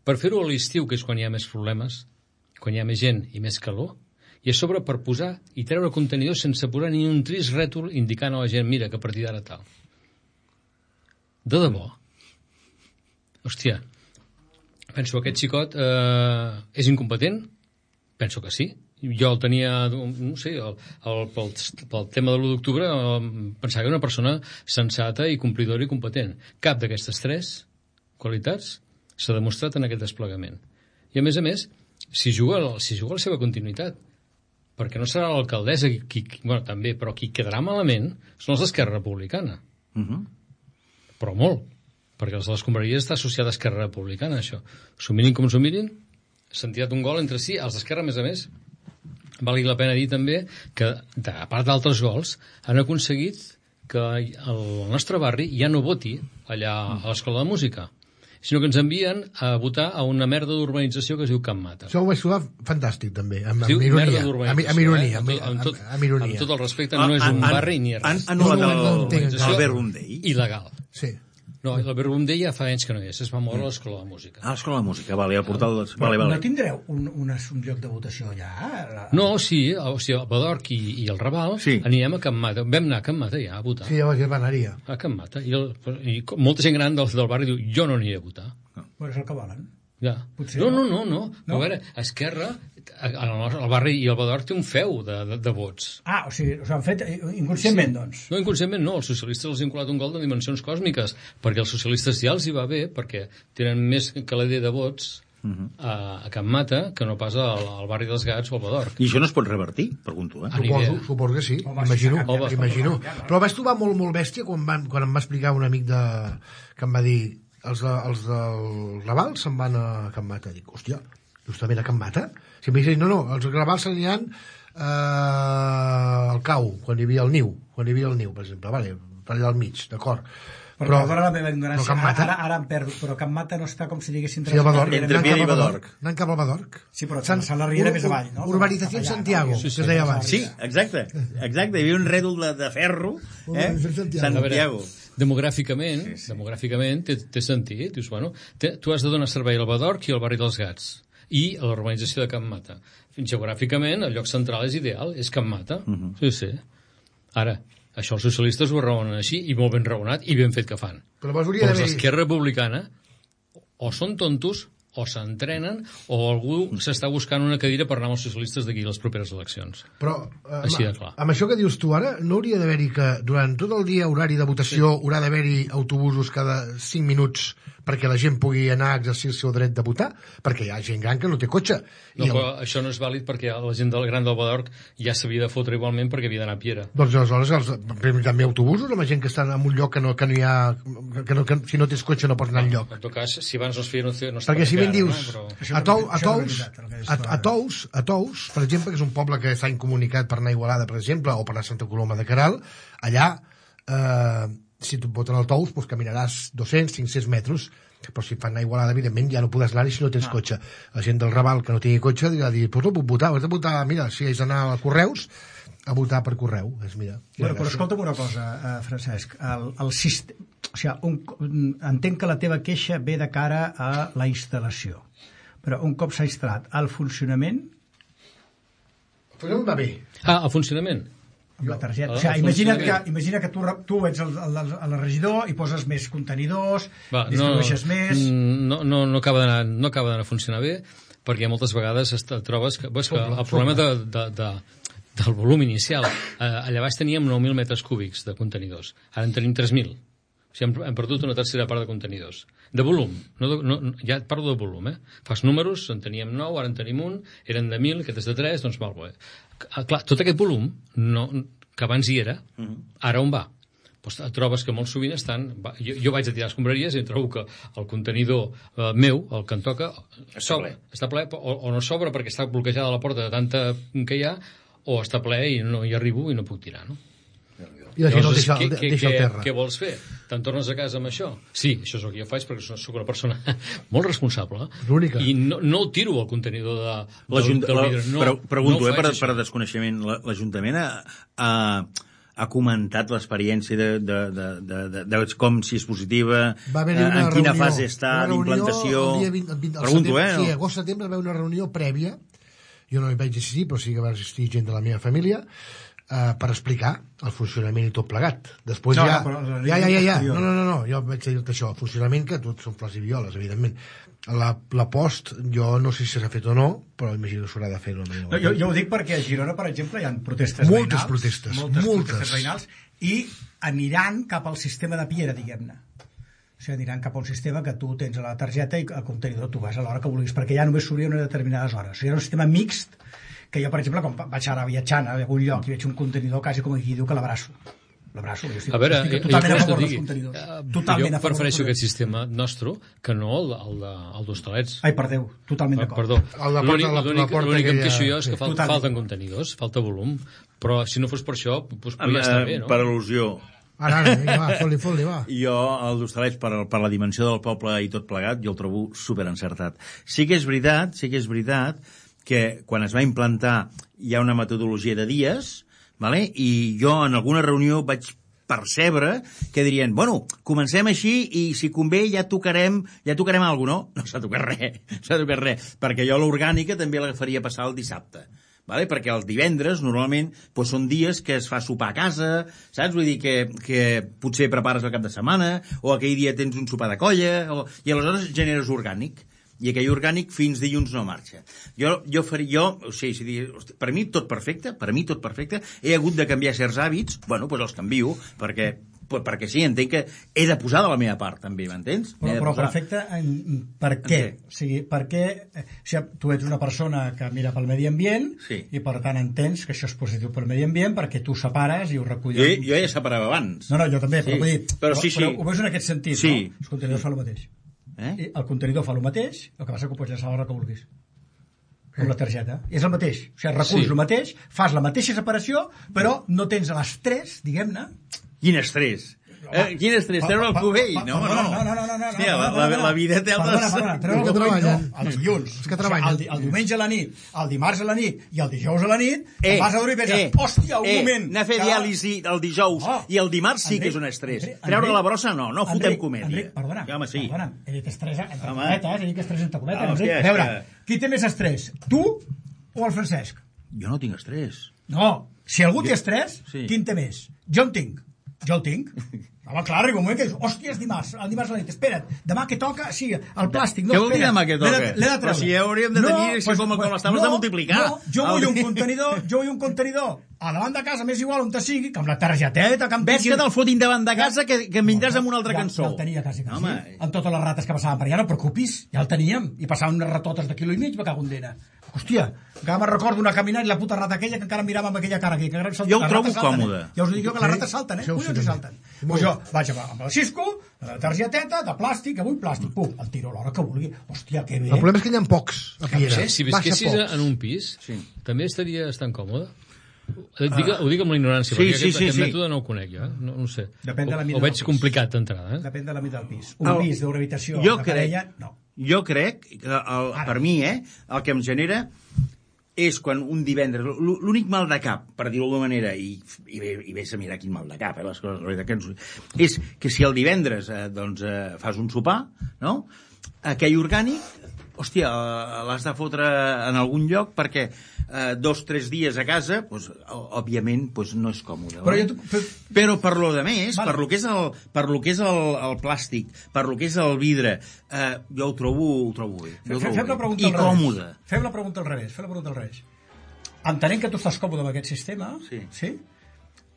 Per fer-ho a l'estiu, que és quan hi ha més problemes, quan hi ha més gent i més calor? I a sobre per posar i treure contenidors sense posar ni un trist rètol indicant a la gent, mira, que a partir d'ara tal. De debò? Hòstia, penso que aquest xicot eh, és incompetent? Penso que sí. Jo el tenia, no sé, el, el, pel, pel tema de l'u d'octubre eh, pensava que era una persona sensata i complidora i competent. Cap d'aquestes tres qualitats s'ha demostrat en aquest desplegament. I a més a més, si juga, si juga la seva continuïtat, perquè no serà l'alcaldessa qui, qui, bueno, també, però qui quedarà malament són els d'Esquerra Republicana. Uh-huh. Però molt, perquè els de les escombraries està associada a Esquerra Republicana, això. S'ho mirin com s'ho mirin, s'han tirat un gol entre si, els d'Esquerra, a més a més, valgui la pena dir també que, a part d'altres gols, han aconseguit que el nostre barri ja no voti allà a l'Escola de Música, sinó que ens envien a votar a una merda d'urbanització que es diu Can Mata. Això ho vaig trobar fantàstic, també, amb, Es diu amb merda ironia. Amb, d'urbanització. amb ironia, eh? amb, amb, tot, amb, amb ironia. amb tot el respecte, no és un Han- barri ni res. Han anul·lat No, no, no el, entenc el Verbum Dei. Il·legal. Sí. No, el Verbum Dei ja fa anys que no hi és, es va moure a l'Escola de Música. Ah, l'Escola de Música, vale, el portal... De... Però Vale, no vale. tindreu un, un, un lloc de votació allà? No, sí, o sigui, el Badorc i, i el Raval Sí. anirem a Can Mata. Vam anar a Can Mata ja a votar. Sí, ja vaig anar-hi. A Can Mata. I, el, i com- molta gent gran del, del barri diu, jo no aniré a votar. Bueno, és el que volen. Ja. Potser no, no. no, no, no. No? A veure, Esquerra, el, el barri i el Badorc té un feu de, de, de vots. Ah, o sigui, us han fet inconscientment, doncs. No, inconscientment no, els socialistes els han colat un gol de dimensions còsmiques, perquè els socialistes ja els hi va bé, perquè tenen més calader de vots a, a Can Mata que no pas al, al barri dels Gats o al Badorc. I això no es pot revertir, pregunto, eh? Ah, ni Suposo, idea. suposo que sí, Home, imagino, si s'ha canviat, imagino. s'ha canviat, Però vaig trobar molt, molt bèstia quan, van, quan em va explicar un amic de, que em va dir els, de, els del Raval se'n van a Can Mata. Dic, hòstia, justament a Can Mata? Si em dit, no, no, els Raval se n'aniran eh, al Cau, quan hi havia el niu, quan hi havia el niu, per exemple, vale, per allà al mig, d'acord. Però, però perdona la meva ignorància, però Can Mata- ara, ara em perdo, però Can Mata no està com si diguéssim... Sí, el Badorc, Entre anant cap Piera i al Badorc. Anant cap al Badorc. Sí, però Sant la Riera més avall, no? Urbanizació Cap allà, Santiago, no? que es deia abans. Sí, exacte, exacte. Hi havia un rèdol de, de ferro, eh? Urbanizació Santiago. Santiago. Demogràficament, Sí, sí. demogràficament té, té sentit. Dius, bueno, té, tu has de donar servei al Badorc i al barri dels Gats i a l'urbanització de Can Mata. Geogràficament, el lloc central és ideal, és Can Mata. Uh -huh. Sí, sí. Ara, això els socialistes ho raonen així, i molt ben raonat, i ben fet que fan. Però llavors hauria Però els d'haver... d'Esquerra Republicana o són tontos o s'entrenen o algú s'està buscant una cadira per anar amb els socialistes d'aquí a les properes eleccions. Però, eh, Així de amb, clar. amb això que dius tu ara, no hauria d'haver-hi que durant tot el dia horari de votació sí. haurà d'haver-hi autobusos cada cinc minuts perquè la gent pugui anar a exercir el seu dret de votar? Perquè hi ha gent gran que no té cotxe. No, I el... però això no és vàlid perquè la gent del Gran del Badorc ja s'havia de fotre igualment perquè havia d'anar a Piera. Doncs aleshores els, també autobusos amb gent que està en un lloc que no, que no hi ha... Que no, que, si no tens cotxe no pots anar enlloc. En tot cas, si abans no es feia, no, no es Perquè si ben dius, no? Però... a, Tou, a, això no és Tous, veritat, el que dius a, tu a, ara. Tous, a Tous, per exemple, que és un poble que està incomunicat per anar a Igualada, per exemple, o per anar a Santa Coloma de Queralt, allà, eh, si tu et voten al Tous, doncs caminaràs dos-cents, cinc-cents metres, però si et fan anar a Igualada, evidentment, ja no podràs anar-hi si no tens ah. cotxe. La gent del Raval que no tingui cotxe dirà, doncs no puc votar, has de votar, mira, si has d'anar a Correus, a votar per correu. És, mira, Bueno, però escolta'm una cosa, eh, Francesc. El, el sistema, o sigui, un, entenc que la teva queixa ve de cara a la instal·lació. Però un cop s'ha instal·lat el funcionament, Però no em va bé. Ah, el funcionament. amb la targeta. El- O sigui, el imagina't funcionament. que, imagina que tu, re- tu ets el, el, el, el regidor i poses més contenidors, Va, no, distribueixes més... no, no, no acaba d'anar no acaba d'anar a funcionar bé perquè moltes vegades et trobes que, veus que Sobre, el problema de, de, de, del volum inicial, eh, allà baix teníem nou mil metres cúbics de contenidors, ara en tenim tres mil. O sigui, hem, hem perdut una tercera part de contenidors. De volum, no, de, no, ja et parlo de volum, eh? Fas números, en teníem nou, ara en tenim un, eren de mil, aquest és de tres, doncs val, bé. Clar, tot aquest volum, no, que abans hi era, ara on va? doncs et trobes que molt sovint estan... Jo, jo vaig a tirar escombraries i em trobo que el contenidor eh, meu, el que em toca, sobra, està ple, o, o no sobra perquè està bloquejada la porta de tanta que hi ha, o està ple i no hi arribo i no puc tirar, no? I la gent el deixa, què, el deixa al terra. Què vols fer? Te'n tornes a casa amb això? Sí, això és el que jo faig perquè soc una persona molt responsable. L'única. I no, no el tiro al contenidor de, del, del vidre. No, però, pregunto, no eh, per, per desconeixement, l'Ajuntament ha, ha, ha comentat l'experiència de, de, de, de, de, de com si és positiva, en quina reunió, fase està d'implantació... Pregunto, eh? Sí, agost setembre va haver una reunió prèvia, jo no hi vaig assistir, però sí que va assistir gent de la meva família, Uh, per explicar el funcionament i tot plegat. Després no, ja, no, ja, ja, ja, ja, no, no, no, no, jo vaig dir-te això, el funcionament que tot són flors i violes, evidentment. La, la post, jo no sé si s'ha fet o no, però imagino que s'haurà de fer. No, no, jo, jo ho dic perquè a Girona, per exemple, hi ha protestes moltes veïnals. Protestes, moltes, moltes protestes veïnals, i aniran cap al sistema de Piera, diguem-ne. O sigui, aniran cap a un sistema que tu tens a la targeta i al contenidor tu vas a l'hora que vulguis, perquè ja només s'hauria unes determinades hores. O sigui, era un sistema mixt, que jo, per exemple, quan vaig ara viatjant a algun lloc i veig un contenidor, quasi com aquí diu que l'abraço. L'abraço. Jo estic, a veure, estic totalment a favor digui, dels contenidors. Uh, totalment jo prefereixo aquest sistema nostre que no el, el, el d'Hostalets. Ai, perdeu, totalment d'acord. Perdó. L'únic que em queixo jo és que sí, falta, falten contenidors, falta volum, però si no fos per això, doncs podria estar bé, no? Per al·lusió. Ara, ara, va, foli, foli, va. Jo, el d'Hostalets, per, per la dimensió del poble i tot plegat, jo el trobo superencertat. Sí que és veritat, sí que és veritat que quan es va implantar hi ha una metodologia de dies, vale? I jo en alguna reunió vaig percebre que dirien, bueno, comencem així i si convé ja tocarem ja tocarem alguna cosa. No, no s'ha tocat res, s'ha tocat res, perquè jo l'orgànica també l'agafaria passar el dissabte. Vale? Perquè els divendres, normalment, doncs són dies que es fa sopar a casa, saps? Vull dir que, que potser prepares el cap de setmana, o aquell dia tens un sopar de colla, o... i aleshores generes orgànic. I aquell orgànic fins dilluns no marxa. Jo, jo faria, jo, o sigui, per mi tot perfecte, per mi tot perfecte, he hagut de canviar certs hàbits, bueno, doncs els canvio, perquè, perquè sí, entenc que he de posar de la meva part, també, m'entens? Però, però perfecte, per què? O sigui, perquè o sigui, tu ets una persona que mira pel medi ambient, sí. I per tant entens que això és positiu pel medi ambient, perquè tu separes i ho reculles. Jo, jo ja separava abans. No, no, jo també, però, sí. vull dir, però, però, sí, sí. però ho veus en aquest sentit, sí. No? Els contenidors fan el mateix. Eh? El contenidor fa el mateix, el que passa que ho pots llançar a l'hora que vulguis. Com la targeta. És el mateix. O sigui, reculls sí. El mateix, fas la mateixa separació, però no tens l'estrès, diguem-ne. Quin estrès? Eh, quin estrès? Treure el cubell? No, no, no, no, no, no. Hòstia, la vida té altres... Perdona, perdona, treure el cubell, no. Els dilluns. Els que treballen. El diumenge a la nit, el dimarts a la nit i el dijous a la nit, eh, vas a dormir i penses, eh, hòstia, un eh, moment. Anar a fer diàlisi el dijous oh, i el dimarts sí que és un estrès. Treure la brossa no, no fotem comèdia. Enric, perdona, ja, home, sí. perdona, he dit estrès entre cometes, he dit estrès entre cometes. Ah, hòstia, a veure, qui té més estrès, tu o el Francesc? Jo no tinc estrès. No, si algú té estrès, sí. Qui en té més? Jo en tinc. Jo el tinc. Home, clar, arriba un moment que dius, hòstia, és dimarts, el dimarts a la nit, espera't, demà que toca, sí, el plàstic, no, què vol dir demà que toca? L'he de treure. Però si ja hauríem de tenir, no, si pues, com, com les taules no, de multiplicar. No, jo vull un contenidor, jo vull un contenidor a davant de casa, més igual on te sigui, que amb la targeteta, que em ves que te'l fotin davant de casa, que, que em vindràs amb una altra ja, cançó. Ja el tenia quasi, quasi, Home. Amb totes les rates que passaven per allà, no et preocupis, ja el teníem, i passaven unes ratotes de quilo i mig, me cago en dena. Hòstia, encara me'n recordo una caminant i la puta rata aquella que encara mirava amb aquella cara aquí. Que jo ho trobo còmode. Eh? Ja us dic jo que les rates salten, eh? Sí, collons, salten. Pues jo vaig amb el Cisco, la targeteta, de plàstic, avui plàstic, pum, el tiro a l'hora que vulgui. Hòstia, que bé. El problema és que hi ha pocs a Piera. Sí, si visquessis en un pis, sí. També estaries tan còmode. Dic, uh, ho dic amb la ignorància, sí, perquè sí, aquest, sí, aquest sí. Mètode no el conec jo, eh? no, no ho sé. Depèn de la mida o, o veig complicat d'entrada. Eh? Depèn de la mida del pis. Un el, pis d'una habitació jo de crec, parella, no. Jo crec, que el, per mi, eh, el que em genera és quan un divendres, l'únic mal de cap, per dir-ho d'alguna manera, i, i, i vés a mirar quin mal de cap, eh, les coses, que ens, és que si el divendres eh, doncs, eh, fas un sopar, no? Aquell orgànic, hòstia, l'has de fotre en algun lloc perquè eh, dos, tres dies a casa, doncs, òbviament, doncs, no és còmode. Però, jo, però, però per lo de més, vale. per lo que és, el, per lo que és el, el plàstic, per lo que és el vidre, eh, jo ho trobo, ho trobo bé. Ho trobo fem la pregunta I còmode. Fem la pregunta al revés. Fem la pregunta al revés. Entenent que tu estàs còmode amb aquest sistema, sí. sí?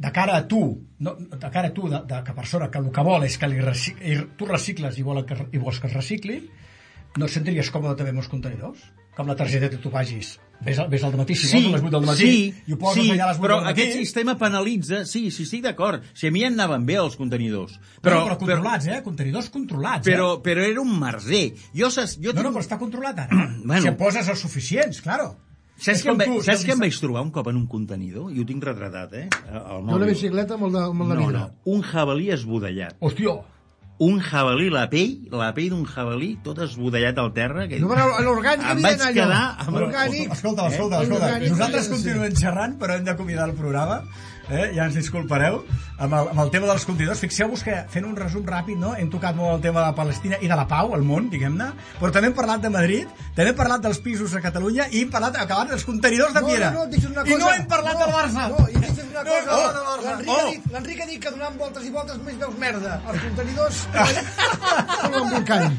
De cara a tu, no, de cara a tu, de, de que persona que el que vol és que li recic, tu recicles i, vol que, i vols que es recicli, no et sentiries còmode també amb els contenidors? com la targeta que tu vagis. Ves al, ves al matí, si sí, vols, a les vuit del matí, sí, i ho poses sí, allà a les vuit però del matí. aquest sistema penalitza... Sí, sí, estic d'acord. Si a mi em anaven bé els contenidors. Però, però, però controlats, eh? Contenidors controlats, però, eh? Però era un merder. Jo, saps, jo no, tinc... no, però està controlat ara. bueno. Si poses els suficients, claro. Saps que, em, tu, saps que em vaig trobar un cop en un contenidor? I ho tinc retratat, eh? Una bicicleta amb el de, amb el de no, vidre. No, un jabalí esbudellat. Hòstia! Un jabalí, la pell, la pell d'un jabalí, tot esbudellat al terra. Que... No, però l'orgànic em havia vaig d'anar quedar... allò. Amb L'orgànic... Escolta, escolta, eh? escolta. Nosaltres continuem xerrant, però hem d'acomiadar el programa. Eh? Ja ens disculpareu. Amb el, amb el tema dels contenidors, fixeu-vos que, fent un resum ràpid, no? hem tocat molt el tema de Palestina i de la pau al món, diguem-ne, però també hem parlat de Madrid, també hem parlat dels pisos a Catalunya i hem parlat, acabat, dels contenidors de Piera. No, no, no, una cosa. I no hem parlat no, del Barça. No, i deixa'm una cosa. No, no, no, L'Enric oh. ha, dit, l'Enric ha dit que donant voltes i voltes més veus merda. Els contenidors són l'embolcall.